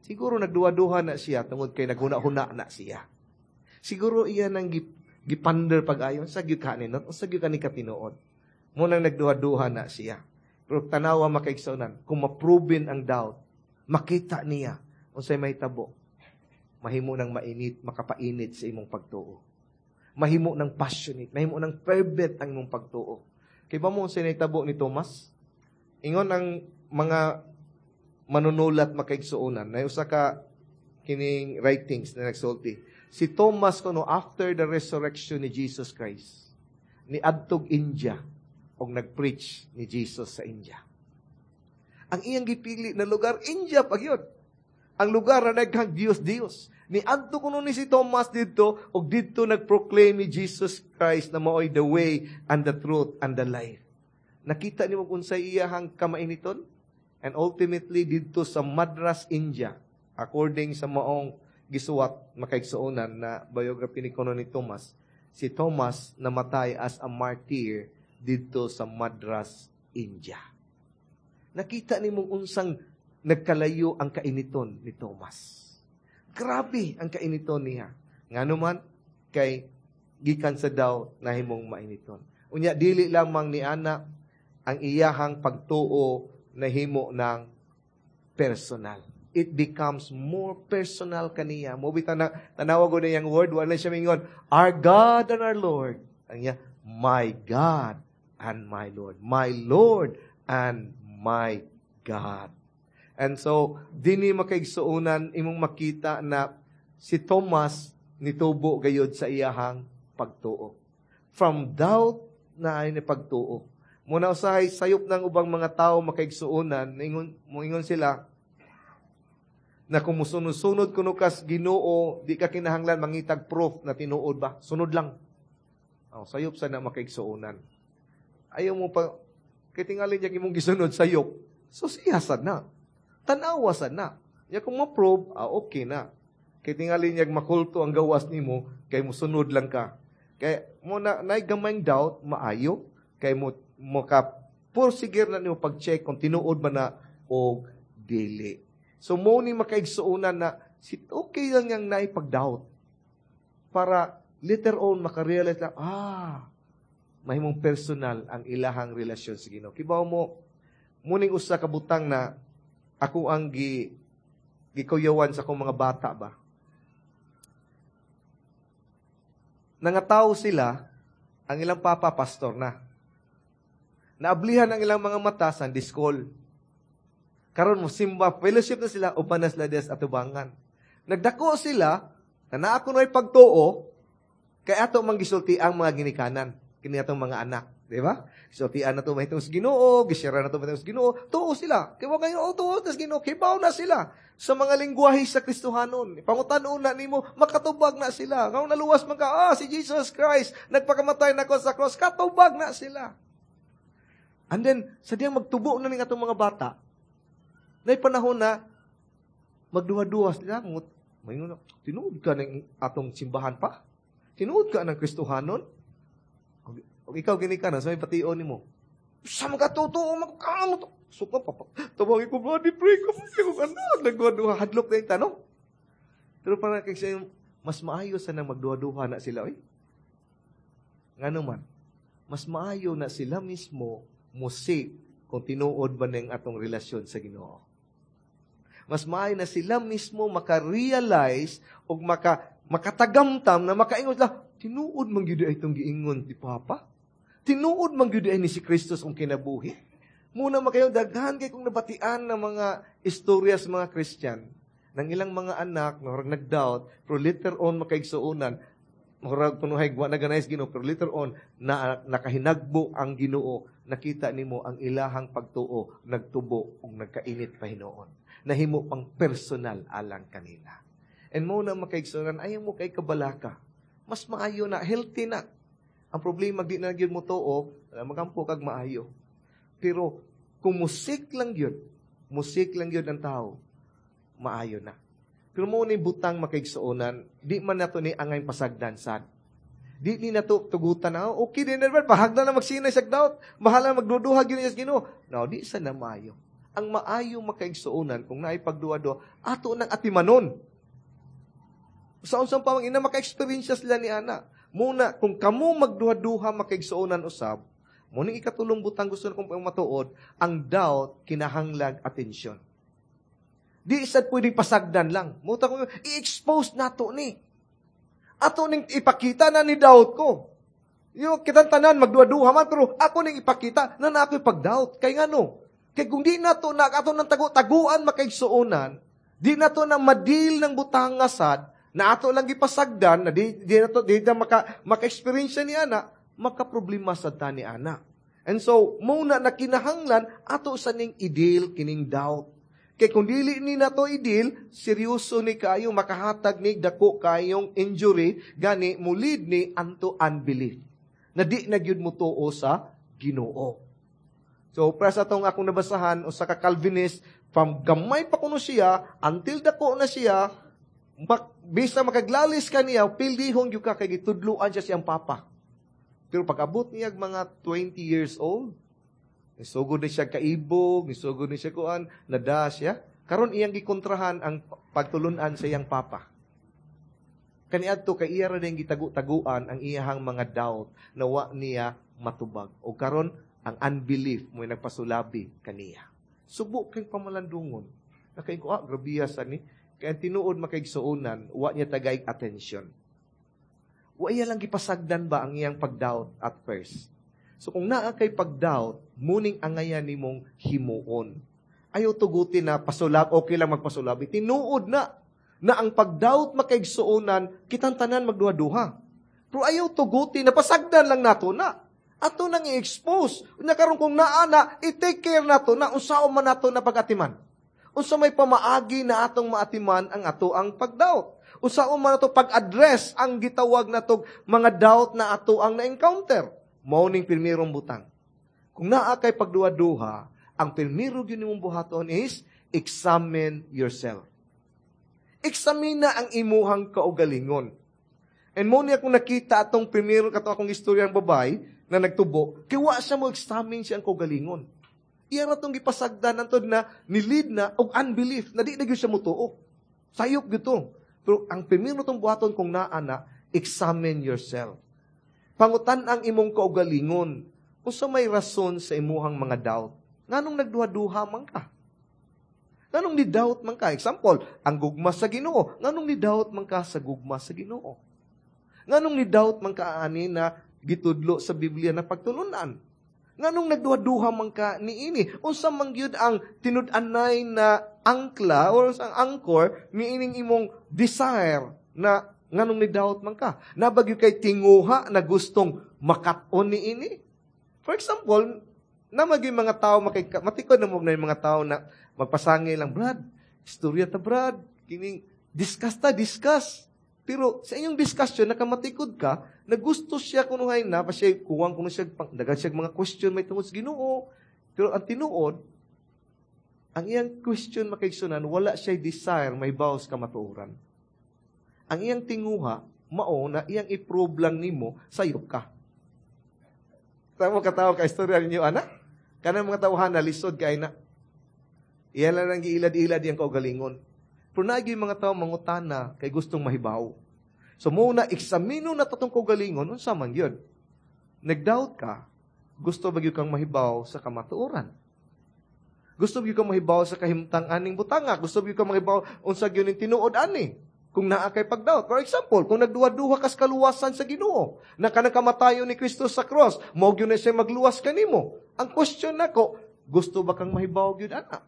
Siguro nagduha-duha na siya tungod kay naghuna-huna na siya. Siguro iya nang giponder pag-ayon sa gyud kanin, sa gyud kani katinuod. Mo nang nagduha-duha na siya. Pero tanawa, makaigsuonan, kung ma-proven ang doubt, makita niya unsay mahitabo. Mahimo nang mainit, makapainit sa imong pagtuo. Mahimo ng passionate, mahimo ng fervent ang imong pagtuo. Kay ba mo unsay nahitabo ni Thomas? Ingon ang mga manunulat, makaigsuonan, na usa ka kining writings na nagsulti. Si Thomas kuno, after the resurrection ni Jesus Christ, ni adtog India og nagpreach ni Jesus sa India. Ang iyang gipili na lugar, India pa gyud. Ang lugar na daghang Diyos Diyos. Ni adto kuno ni si Thomas didto og didto nagproclaim ni Jesus Christ na maoy the way and the truth and the life. Nakita nimo kung sa iyahang kamainiton? And ultimately didto sa Madras, India, according sa maong gisuwat, makaigsuonan, na biography ni kuno ni Thomas, si Thomas namatay as a martyr didto sa Madras, India. Nakita nimo unsang nagkalayo ang kainiton ni Thomas. Grabe ang kainiton niya. Ngano man, kay gikan sa doubt nahimong mainiton. Unya dili lamang ni ana, ang iyahang pagtuo nahimo ng personal. It becomes more personal kaniya. Mo bitaw na tanawa ko na iyang word, wala siya mingon, "Our God and our Lord." Ang iya, "My God and my Lord. My Lord and my God." And so, dini, makaigsuonan, imong makita na si Thomas nitubo gayod sa iyahang pagtuo. From doubt na ay ni pagtuo. Muna usahay sayop ng ubang mga tao, makaigsuonan, ingon, moingon sila na kung musunod-sunod kuno kas Ginoo, di ka kinahanglan mangitag proof na tinuod ba. Sunod lang. Oh, sayop sa na, makaigsuonan. Ayaw mo pa, kay tingali niya imong gisunod sayop. So siyasad na. Tanawa sad na. Ya kung ma-prove, ah, okay na. Kay tingali niya makulto ang gawas nimo, kay musunod lang ka. Kay mo na nay gamayng doubt, maayo kay mo ka porsigir na nimo pag-check kung tinuod ba na o dili. So mo ni, makaigsuonan, na si okay lang yang naay pag-doubt para later on makarealize lang, mahimong personal ang ilahang relasyon sa Ginoo. Kibaw mo, muning usa ka butang na ako ang gikuyawan sa akong mga bata ba. Nangataw sila, ang ilang papa pastor na. Naablihan ang ilang mga mata sa school. Karon mo simba, fellowship na sila, uban na sila des atubangan. Nagdako sila, na naa ko na'y pagtuo, kay ato mang gisulti ang mga ginikanan, kini atong mga anak, di ba? Gisultian na to mahitungod sa Ginoo, gishare na to mahitungod sa Ginoo, tuo sila. Kay wa kayo, oh, tuo sa Ginoo, kibaw na sila sa mga lingwahe sa Kristohanon. Pangutan-on na nimo, makatubag na sila. Nga naluwas man ka, si Jesus Christ, nagpakamatay na ko sa cross, katubag na sila. And then, sa diyang magtubo na ning atong mga bata, na panahon na magduha-duha sila, maingon, "Tinuod ka ng atong simbahan pa? Tinuod ka ng Kristohanon?" O ikaw gini ka na, sa may pation nimo. Sa mga totoo, magkamo to. So pa, papa, tawagin ko, "Brother, pray ko, pray ko, anak." Nagduha-duha, hadlok na yung tanong. Pero parang kay siya, mas maayo sa nang magduha-duha na sila, oy. Nga naman, mas maayo na sila mismo musik kung tinuod ba ng atong relasyon sa Ginoo. Mas maayo na sila mismo maka-realize o makatagamtam na makaingon sila, "Tinuod man gyud ay itong giingon ni Papa. Tinuod man gyud ay ni si Kristus ang kinabuhi." Muna makayo daghan kay kung nabatian ng mga istorya sa mga Christian ng ilang mga anak na murag nag-doubt, pero later on, makaigsuonan, murag kunuhay wa na ganay sa Ginoo, pero later on na nakahinagbo ang Ginoo, nakita nimo ang ilahang pagtuo nagtubo ug nagkainit pa hinuon. Nahimo pang personal alang kanila. And mo na, makaigsuonan, ayaw mo kay kabalaka. Mas maayo na, healthy na. Ang problema, di na gyud mo tuo, magampo kag maayo. Pero kung musik lang yun, musik lang yun ang tao, maayo na. Pero mo ni butang, makaigsuonan, di man nato ni angay pasagdan sad. Di ni nato tugutan na, okay din na, pahagdan na magsinay sa doubt, bahala magduduha gyud sa Ginoo. No, di sa na maayo. Ang maayo, makaigsuonan, kung naay pagduha-duha, ato nang atimanon. Sa unsang pamang ina maka-experience sila ni ana. Muna, kung kamo magduha-duha, makaigsuonan usab, mo ning ikatulong butang gusto na kong matuod, ang doubt kinahanglag atensyon. Di sad pwedeng pasagdan lang. Muta ko, i-expose nato ni. Ato ning ipakita na ni doubt ko. Yung kitang tanan magduha-duha man, pero ako ning ipakita na na ako'y pag-doubt. Kay ngano? Kay kung di nato na ato nang tago-taguan, makaigsuonan, di nato na ma-deal ng butanga sad, na ato lang gipasagdan, na di nato di na maka-experience ni ana, makaproblema sad ta ni ana. And so, mao na kinahanglan ato sa ning i-deal kining doubt. Kay kung dili ni nato i-deal, seryoso ni kaayo, makahatag ni dako kayong injury, gani mo-lead ni unto unbelief. Na di na gyud mo tuo sa Ginoo. So, para sa atong akong nabasahan, usa ka Calvinist, from gamay pa kuno siya, until dako na siya, bisa makaglalis ka niya, pildihon gyud ka kay gitudluan siya siyang papa. Pero pag-abot niya mga 20 years old, nisugod na siya kaibog, nisugod na siya kuan, nada siya. Karon iyang gikontrahan ang pagtulunan sa iyang papa. Kaniadto kay iya ra din gitagu-taguan ang iyahang mga doubt na wa niya matubag. O karon ang unbelief mo nagpasulabi kaniya. Subo kay pamalandungon. Nakay ko, grabiya sa ni. Kaya ang tinuod, makaigsuonan, wa niya tagay attention. Wa iya lang gipasagdan ba ang iyang pagdoubt at first. So kung naa kay pagdoubt, muning angayan nimong himuon. Ayaw tugutin na pasulab, okay lang magpasulabi. Tinuod na na ang pagdoubt, makaigsuonan, kitang tanan magduha-duha. Pero ayaw tugutin na pasagdan lang nato na. Ato nang i-expose. Unya karon kung naa na, i-take care nato na unsaon man nato na pag-atiman. Unsa may pamaagi na atong maatiman ang ato ang pagdoubt. Unsaon man nato pag-address ang gitawag natog mga doubt na ato ang na-encounter. Mao ning pirmirong butang. Kung naa kay pagduha-duha, ang pirmiro gyud nimong buhaton is examine yourself. Examina ang imuhang kaugalingon. And mo niya kung nakita atong primero kato akong istorya ng babae na nagtubo, kay wa siya mo examine siyang kaugalingon. Iya ra tong gipasagdan antod na ni-lead na og unbelief na di na gyud siya motuo. Sayop gyud to. Pero ang primero tong buhaton kung naa na, examine yourself. Pangutan ang imong kaugalingon. Unsa may rason sa imuhang mga doubt? Nganong nagduha-duha man ka? Nganong ni doubt man ka? Example, ang gugma sa Ginoo. Nganong ni doubt man ka sa gugma sa Ginoo? Nganong ni doubt man ka ani na gitudlo sa Biblia na pagtulunan? Nganong nagduha-duha man ka niini? Unsa man gyud ang tinud-anay na angkla or ang anchor niining imong desire na nganong ni doubt man ka? Nabagyo kay tinguha na gustong makat-on niini? For example, na maging mga tao, matikod na mo na yung mga tao na magpasangil lang, "Brad, istorya ta, Brad, kining, discuss ta, discuss." Pero sa inyong discussion, nakamatikod ka, na gusto siya kunuhay na, pa siya, kuwang kuno siya, dagan siya mga question may tungod sa Ginoo. Pero ang tinuod, ang iyang question, makaigsunan, wala siya desire may bawas kamatuoran. Ang iyang tinguha, mao na iyang i-prove lang nimo, sayop ka. Tama katawa ka istorya ninyo, ana? Kanang mga tawhan na lisod kay na. Iyan lang ang giilad-ilad iyang kaugalingon. Pero naagi mga tao mangutana kay gustong mahibaw. So muna, eksamino na tatong kaugalingon, unsa man yun? Nag-doubt ka, gusto ba gyud kang mahibaw sa kamatuoran? Gusto ba gyud kang mahibaw sa kahimtang aning butanga? Gusto ba gyud kang mahibaw unsa gyud ning tinuod ani? Kung naa kay pagdoubt. For example, kung nagduha-duha kas kaluwasan sa Ginoo, na kanang kamatayon ni Kristo sa cross, mao gyud na siya magluwas kanimo. Ang question nako, gusto ba kang mahibaw gyud ana?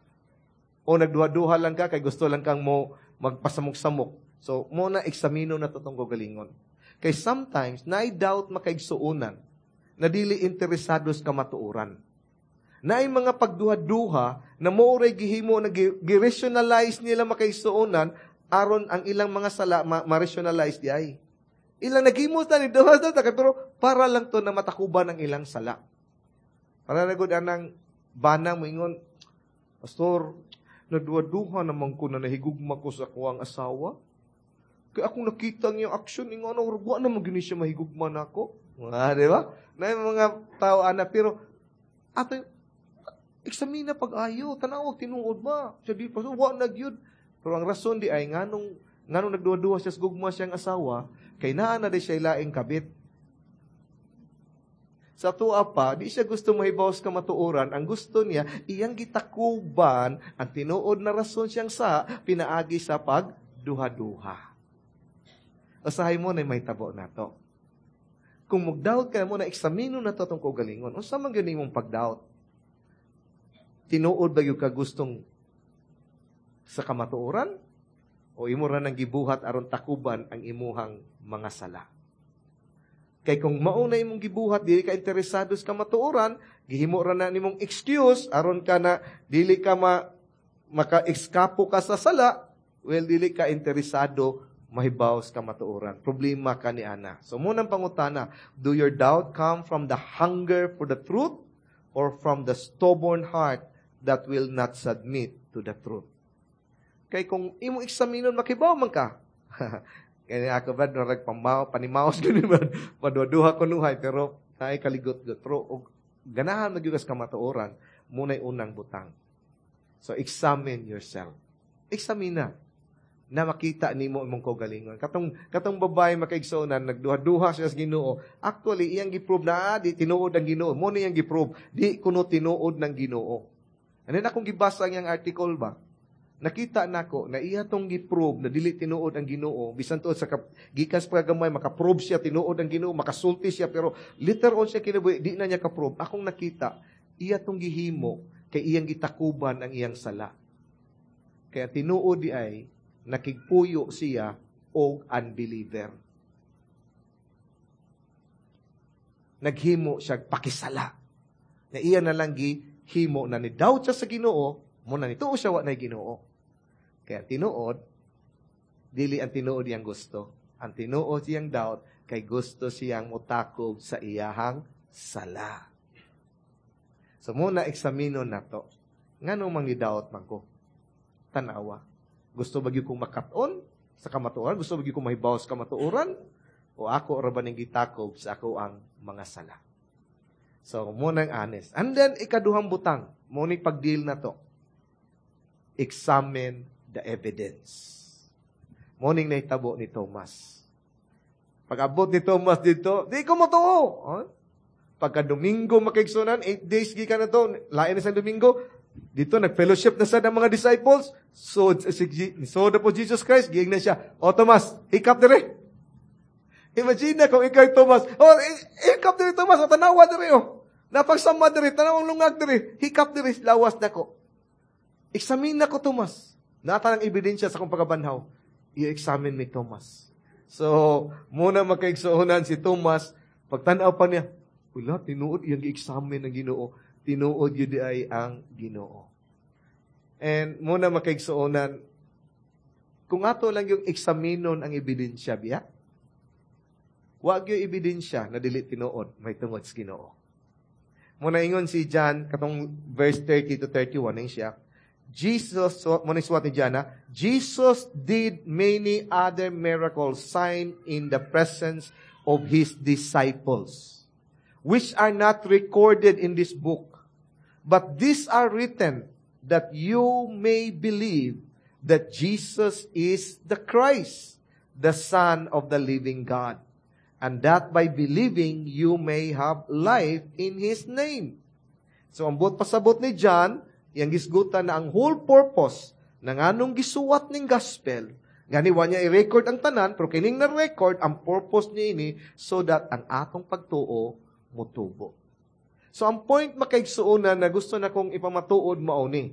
O nagduha-duha lang ka kay gusto lang kang mo magpasamok-samok? So, mo na eksamino na totong kaugalingon. Kay sometimes, naay doubt, makaigsuonan, na dili interesados kamatuoran. Naay mga pagduha-duha na mo ray gihimo na gi-rationalize nila, makaigsuonan, aron ang ilang mga sala ma-rationalize di ay. Ilang naghimo ta ni duha ta, pero para lang to na matakuban ang ilang sala. Para na gud anang bana moingon, "Pastor, nagduha-duha naman ko na nahigugma ko sa akuang asawa. Kaya akong nakita ang iyang action, ingon ano, wa naman gyud siya mahigugma nako." Mga, di ba? Na yung mga tao, ana, pero, ato, eksamina pag-ayo, tanawag tinuod ba? Siya di, "Pastor, wa na gyud." Pero ang rason di ay, nganong nagduha-duha siya sa gugma siyang asawa, kay naa na di siya laing kabit. Sa tuwa pa, di siya gusto mahibaw sa kamatuoran. Ang gusto niya, iyang gitakuban ang tinuod na rason siyang sa pinaagi sa pagduha-duha. Usahay mo na may tabo na to. Kung magdoubt ka mo na, eksamino na to itong kaugalingon. Unsa man gyud imong pagdoubt? Tinuod ba gyud ka gustong sa kamatuoran? O imo ra nang gibuhat aron takuban ang imuhang mga sala? Kay kung mao na imong gibuhat, dili ka interesado sa kamatuoran, gihimo ra na nimong excuse aron ka na dili ka maka-eskapo ka sa sala, well, dili ka interesado mahibaw sa kamatuoran. Problema ka ni ana. So, munang pangutana, do your doubt come from the hunger for the truth or from the stubborn heart that will not submit to the truth? Kay kung imong eksaminon, makibaw man ka. Kaya ako ba, narag pamaw, panimaos ganun ba, paduha ko nuhay, pero tayo kaligot-got. Pero og, ganahan magyugas kamatuoran, muna'y unang butang. So, examine yourself. Examina na makita nimo imong kaugalingon. Katong babae, makaigsuonan, nagduha-duha siya sa Ginoo. Actually, iyang gi-prove na di tinuod ang Ginoo. Mo na iyang gi-prove, di kuno tinuod ng Ginoo. And then akong gibasa ang iyang article ba? Nakita nako na iya tong gi-prove na dili tinuod ang Ginoo, bisan tuod sa gikan sa paggamay maka-prove siya tinuod ang Ginoo, makasulti siya, pero later on siya kinabuhi di na niya ka-prove. Akong nakita, iya tong gihimo kay iyang gitakuban ang iyang sala. Kaya tinuod di ay nakigpuyo siya og unbeliever. Naghimo siya pakisala. Na iya na lang gihimo na ni doubt siya sa Ginoo, mo na nituo siya wa nay Ginoo. Kaya tinuod, dili ang tinuod iyang gusto. Ang tinuod siyang doubt, kay gusto siyang mutakob sa iyahang sala. So muna, eksamino na to. Nganong mangi-doubt man ko? Tanawa. Gusto ba gyud kong makat-on sa kamatuoran? Gusto ba gyud kong mahibaw sa kamatuoran? O ako ra ba ning gitakob sa ako ang mga sala? So, muna ang honest. And then, ikaduhang butang. Muna pag-deal na to. Examine the evidence. Morning na itabo ni Thomas. Pag-abot ni Thomas dito, di ko motuo. Huh? Pagka Domingo makigsunan, 8 days gikan na to, lain na sa Domingo, dito nag-fellowship na sa ng mga disciples. So, so na po Jesus Christ, giing na siya, "O Thomas, hikap dire." Imagine na kung ikaw Thomas, "Oh, hikap dire Thomas, o tanawa dire oh. Napagsama dire, tanawang lungag dire, hikap dire, lawas na ko. Examine na ko, Thomas. Nata ng ebidensya sa akong pagkabanhaw. I-examine ni Thomas." So, muna makaigsuonan si Thomas, pagtanaw pa niya, wala, tinuod iyang gi-examine ng Ginoo. Tinuod yun di ay ang Ginoo. And muna makaigsuonan, kung ato lang yung eksaminon ang ebidensya, biya, wag yung ebidensya na dili tinuod, may tungod sa Ginoo. Muna ingon si John, katong verse 30 to 31, ing siya, Jesus, so, muna suwat ni John, ha? Jesus did many other miracles, sign in the presence of His disciples, which are not recorded in this book. But these are written that you may believe that Jesus is the Christ, the Son of the living God, and that by believing you may have life in His name. So, ang buot pasabot ni John, iyang gisgutan na ang whole purpose ng anong gisuwat ning gospel, gani wa niya i-record ang tanan, pero kining na-record, ang purpose niya ini, so that ang atong pagtuo mutubo. So, ang point makaigsuonan na gusto na kong ipamatuod mao ni,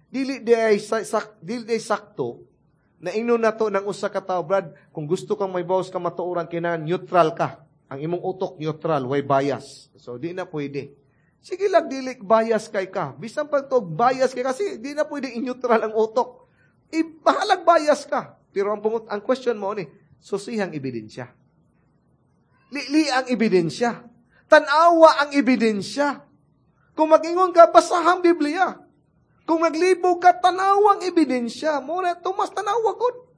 dili di ay sakto na ingnon nato ng usa ka tawo, "Brad, kung gusto kang may bawas ka matuoran, kinahanglan neutral ka. Ang imong utok neutral, way bias." So, di na pwede. Sige lang, dili bias kay ka. Bisan pa to bias kay kasi di na pwede i-neutral ang utok. Ibahalag bias ka. Pero ang question mo ni, susihang ebidensya. Lili ang ebidensya. Tanawa ang ebidensya. Kung mag-ingon ka, basahang Biblia. Kung maglibog ka, tanawa ang ebidensya. Muna, Tomas, tanawa gud.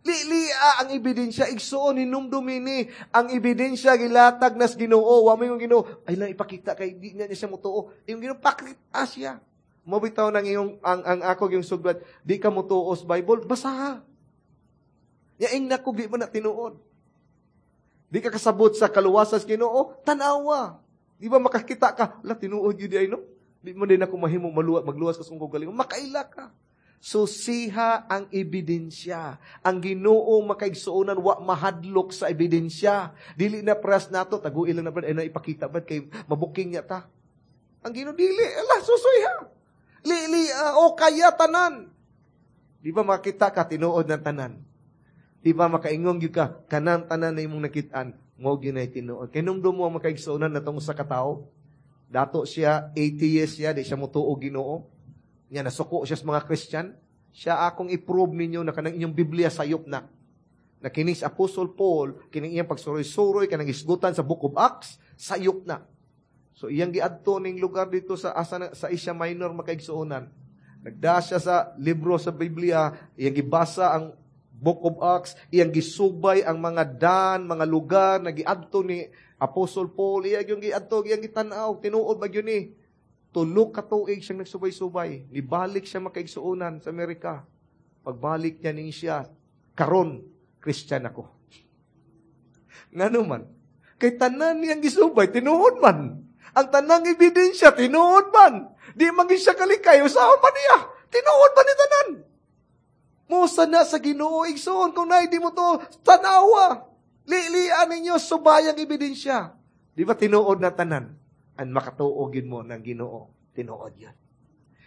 Lilia ang ebidensya, igsuon hinumdumi ni ang ebidensya gilatag nas Ginoo. Wa may yung Ginoo, ay lang ipakita kay di niya siya mutuo. Yung Ginoo pakita siya. Mo bitaw nang iyong ang ako yung suglat, di ka mutuo sa Bible, basaha. Yaing nako di mo na tinuod. Di ka kasabot sa kaluwasan sa Ginoo, tanawa. Di ba makakita ka, la tinuod yun di ay no? Di mo din ako mahimo magluwas ka sa kong kaugalingon, makaila ka. Susiha ang ebidensya. Ang Ginoo makaigsuonan wa mahadlok sa ebidensya. Dili na pras nato taguil lang na brad ay na ipakita brad kay mabuking niya ta. Ang Ginoo dili, ala susuy ha. Lili, o kaya tanan. Di ba makita ka tinuod ng tanan? Di ba makaingong gyud ka kanang tanan na imong nakitaan mo gyud nay tinuod? Kay numdum mo ang makaigsuonan natong usa ka tawo. Dato siya, atheist siya, di siya motuo Ginoo. Nya nasuko siya sa mga Christian. Siya, "Akong i-prove ninyo na kanang inyong Biblia sayop na. Na kining si Apostle Paul, kining iyang pagsuroy-suroy, kanang isgutan sa Book of Acts, sayop na." So iyang giadto ning lugar dito sa asa na, sa Asia Minor, makaigsuonan. Nagda siya sa libro sa Biblia, iyang gibasa ang Book of Acts, iyang gisubay ang mga dan, mga lugar na giadto ni Apostle Paul, iyang yung giadto, iyang gitan-aw, tinuod ba yun ni? 3 ka tuig siyang nagsubay-subay. Nibalik siya, makaigsuonan, sa Amerika. Pagbalik niya ning siya, "Karon, Christian ako." Ngano man? Kay tanan niyang gisubay, tinuod man. Ang tanang ebidensya, tinuod man. Di man siya kalikay, usaha pa niya. Tinuod man ni tanan. Mosa na sa Ginoo, igsoon, kung naay di mo to, tanawa. Lilian ninyo, subayang ebidensya. Di ba tinuod na tanan? Ang makatuo gyud mo ng Ginoo, tinuod yan.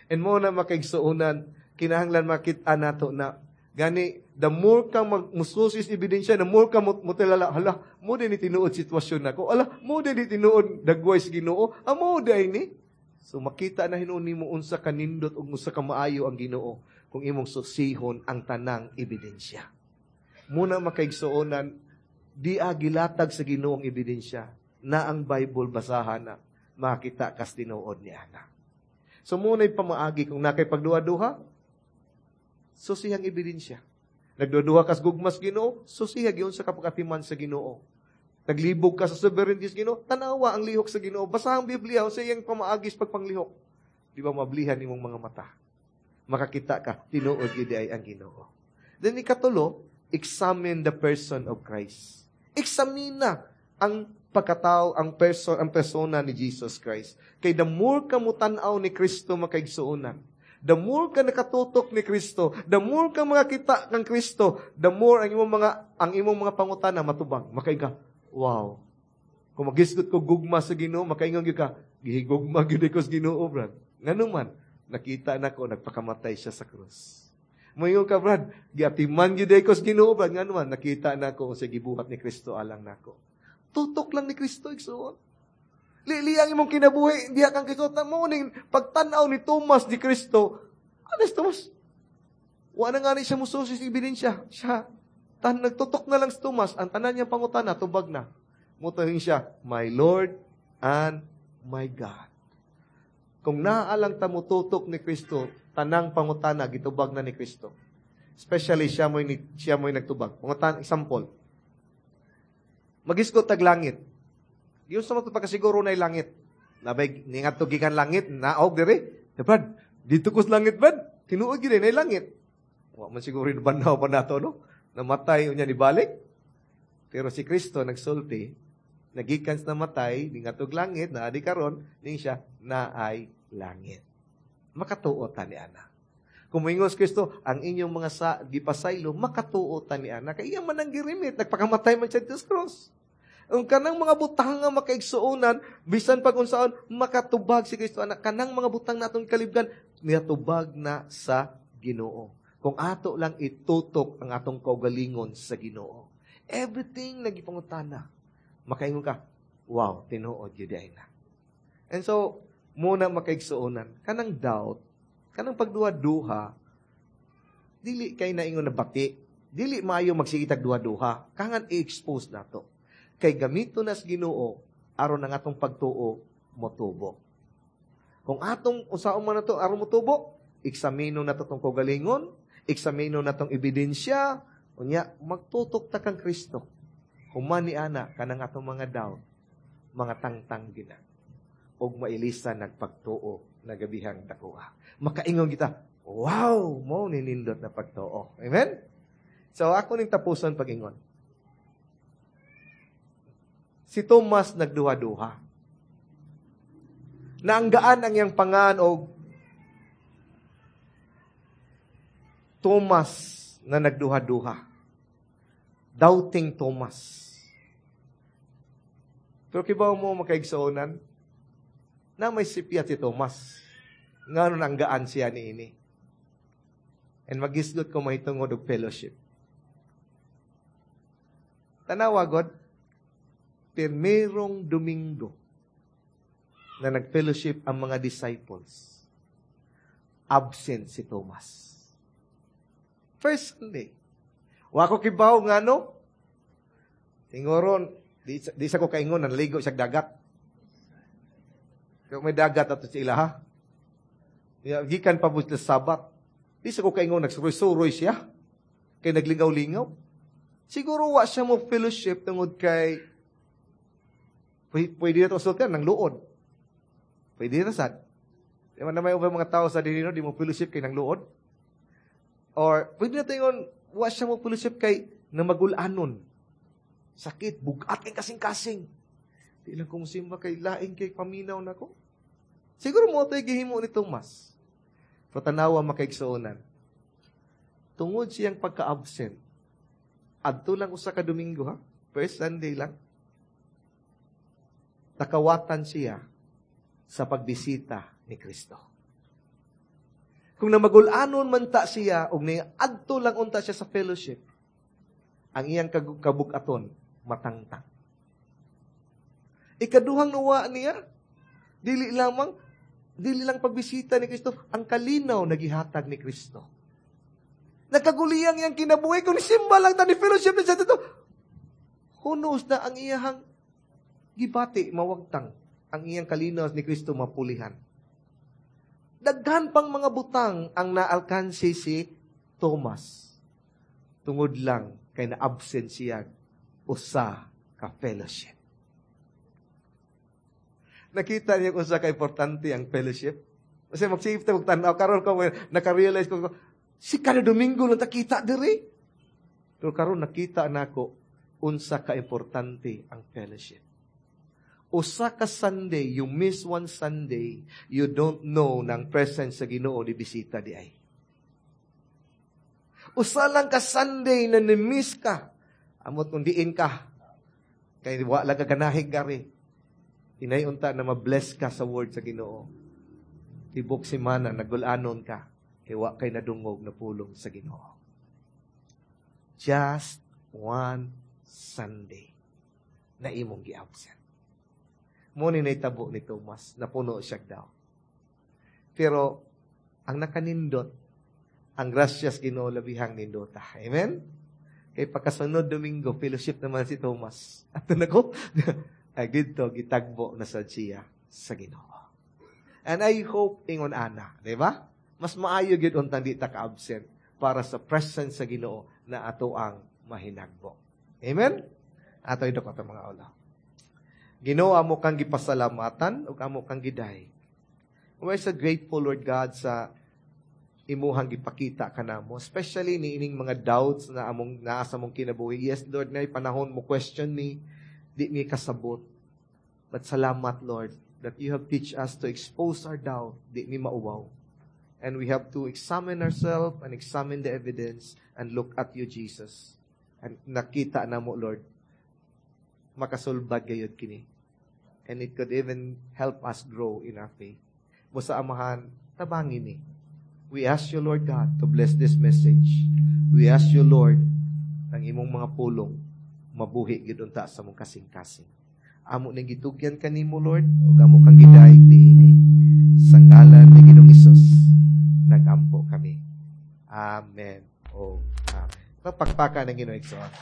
And mo na makaigsuonan, kinahanglan makita nato na gani the more ka magmususis ebidensya, the more ka mutilala, hala, mo din ni tinuod sitwasyon nako. Ala, mo din ni tinuod dagway sa Ginoo. Amo day ni. So makita na hinuon nimo unsa kanindot ug unsa ka maayo ang Ginoo kung imong susihon ang tanang ebidensya. Muna makaigsuonan, di gilatag sa Ginoo ang ebidensya na ang Bible, basahan na makita kas tinuod ni ana. So muna'y pamaagi kung nakay pagduha-duha, susihang ebidensya. Nagduha kas gugmas Ginoo, susiha gyud sa kapakatiman sa Ginoo. Naglibog ka sa sovereignty sa Ginoo, tanawa ang lihok sa Ginoo. Basa ang Biblia sa iyang pamaagis pagpanglihok. Di ba mablihan imong mga mata? Makakita ka, tinuod gyud ay ang Ginoo. Then ikatulo, examine the person of Christ. Examina ang pagkatao, ang person, ang persona ni Jesus Christ. Kay the more ka mutan-aw ni Kristo, makaigsuonan, the more ka nakatutok ni Kristo, the more ka makakita kang Kristo, the more ang imong mga pangutana matubang. Makaingon ka, "Wow." Kung magisgot ko gugma sa Ginoo, makaingon gyud ka, "Gihigugma gyud ko sa Ginoo, brad. Ngano man, nakita nako nagpakamatay siya sa krus." Moingon ka, "Brad, giatiman gyud ko sa Ginoo, brad. Ngano man, nakita nako sa gibuhat ni Kristo alang nako." Tutok lang ni Kristo, igsuon. Lili ang imong kinabuhi, diha kang Kristo. Mo ning pagtan-aw ni Tomas ni Kristo. Ano si Tomas? Wa na nga ni siya mususi sa ebidensya. Siya, nagtutok na lang si Tomas, ang tanan niyang pangutana, tubag na. Mutuhin siya, "My Lord and my God." Kung naalang ta mututok ni Kristo, tanang pangutana, gitubag na ni Kristo. Especially, siya mo'y nagtubag. Pangutan, example. Magisgot tag langit. Giunsa man pagkasiguro na langit? Nabay ningadto gikan langit, naog dire. Brad, dito ko sa langit, brad. Tinuod gyud na langit. Wa man siguro banhaw pa nato, no? Namatay unya ni balik. Pero si Kristo nagsulti, nagikan sa namatay, ningadtog langit, naa di karon, ning siya naay langit. Makatuo ta ni ana. Kung moingon si Kristo, "Ang inyong mga sa gipasaylo," makatuo ta ni ana. Kay iya man ang girimit, nagpakamatay man siya sa cross. Ang kanang mga butang nga makaigsuonan, bisan pag unsaon, makatubag si Kristo anak. Kanang mga butang natong kalibgan, niatubag na sa Ginoo. Kung ato lang itutok ang atong kaugalingon sa Ginoo. Everything nagipangutana. Makaingon ka, "Wow, tinuod yun ay na." And so, muna makaigsuonan, kanang doubt, kanang pagduha-duha, dili kay naingon na bati, dili maayo magsigitag duha-duha, kangan i-expose nato. Kay gamito nas Ginoo aron ang atong pagtuo motubo. Kung atong usaon man nato aron motubo, eksamino nato tong kaugalingon, eksamino natong ebidensya, unya magtutok ta kang Kristo. Human ni ana kanang atong mga doubt, mga tangtang gina. Og mailisan nagpagtuo na gabihang dakuha. Makaingon kita, "Wow, mo ninindot na pagtuo." Amen? So ako ning tapuson pag-ingon. Si Thomas nagduha-duha. Naanggaan ang iyang pangan og Thomas na nagduha-duha. Doubting Thomas. Pero kibaw mo, makaigsuonan, na may sipyat si Thomas. Ngano nanggaan siya niini? And magisgot ko mahitungod og fellowship. Tanawa god, pirmerong Domingo na nag-fellowship ang mga disciples, absent si Thomas. First Sunday. Wa ko kibaw ngano. Tingoron, di sa ko kaingon, naligo siya dagat. Kung may dagat ato sa ila, ha? Gikan pa po sa Sabat. Di sa ko kaingon, nagsuroy-suroy siya. Kay naglingaw-lingaw. Siguro wa siya mo fellowship tungod kay pwede na ito sultian ng luod. Pwede na sad. Di man na may ubang mga tao sa dinino, di mo fellowship kay ng luod. Or pwede na ito ingon, wa siya mo fellowship kay na magulanon. Sakit, bugat kay kasing-kasing. Di lang kung simba kay laing kay paminaw na ko. Siguro mo ito'y gihimo ni Tomas. Pero tanawa makaigsuonan. Tungod siyang pagka-absent, adto lang usa ka Domingo ha, first Sunday lang, nakawatan siya sa pagbisita ni Kristo. Kung namagulanon man ta siya, og adto lang unta siya sa fellowship, ang iyang kabukaton, matangtang. Ikaduhang nuwa niya, dili lang pagbisita ni Kristo, ang kalinaw na gihatag ni Kristo. Nagkaguliyang iyang kinabuhi, kung simba lang ta ni fellowship ni siya dito, who knows na ang iyang gibati, mawagtang, ang iyang kalinaw ni Kristo mapulihan. Daghan pang mga butang ang naalkansi si Thomas. Tungod lang kay na-absent siya usa ka fellowship. Nakita niya kung sa ka-importante ang fellowship. Kasi magsige ta og tan-aw karon ko naka-realize ko si kada Domingo lang ta kita diri. Pero karon nakita nako unsa ka-importante ang fellowship. Usa ka Sunday, you miss one Sunday, you don't know ng presence sa Ginoo ni bisita di ay. Usa lang ka Sunday na ni-miss ka, amot kung diin ka, kay wa lang ka ganahig gari. Inay unta na ma-bless ka sa word sa Ginoo. Tibok semana nagulanon ka, kay wa kay nadungog na pulong sa Ginoo. Just one Sunday na imong gi-absent. Mo ni naitabo ni Thomas, napuno siya daw. Pero ang nakanindot, ang grasyas Ginoo labihang nindota. Amen? Kay pagkasunod Domingo, fellowship naman si Thomas. Ato na ko, ay didto gitagbo na sad siya sa Ginoo. And I hope ingon ana, di ba? Mas maayo gyud untang di ta ka-absent para sa presence sa Ginoo na ato ang mahinagbo. Amen? Ato idok ato mga ulo. Ginoo, amo kang gipasalamatan ug amo kang giday. We are so grateful, Lord God, sa imuhang gipakita kanamo, especially ni ining mga doubts na among naa sa among kinabuhi. Yes, Lord, na panahon mo question me, di mi kasabot. But salamat, Lord, that you have teach us to expose our doubt, di mi mauwaw. And we have to examine ourselves and examine the evidence and look at you, Jesus. And nakita na mo, Lord, makasulbad gayod kini. And it could even help us grow in our faith. Busa Amahan, tabangin ni. We ask you, Lord God, to bless this message. We ask you, Lord, ang imong mga pulong, mabuhi gyud unta sa mong kasing-kasing. Amo ning gitugyan kanimo, Lord, ug amo kang gidayeg niini. Sa ngalan ni Ginoong Hesus, nagampo kami. Amen. Oh, amen. Pagpakpakan ng Ginoo igsoon.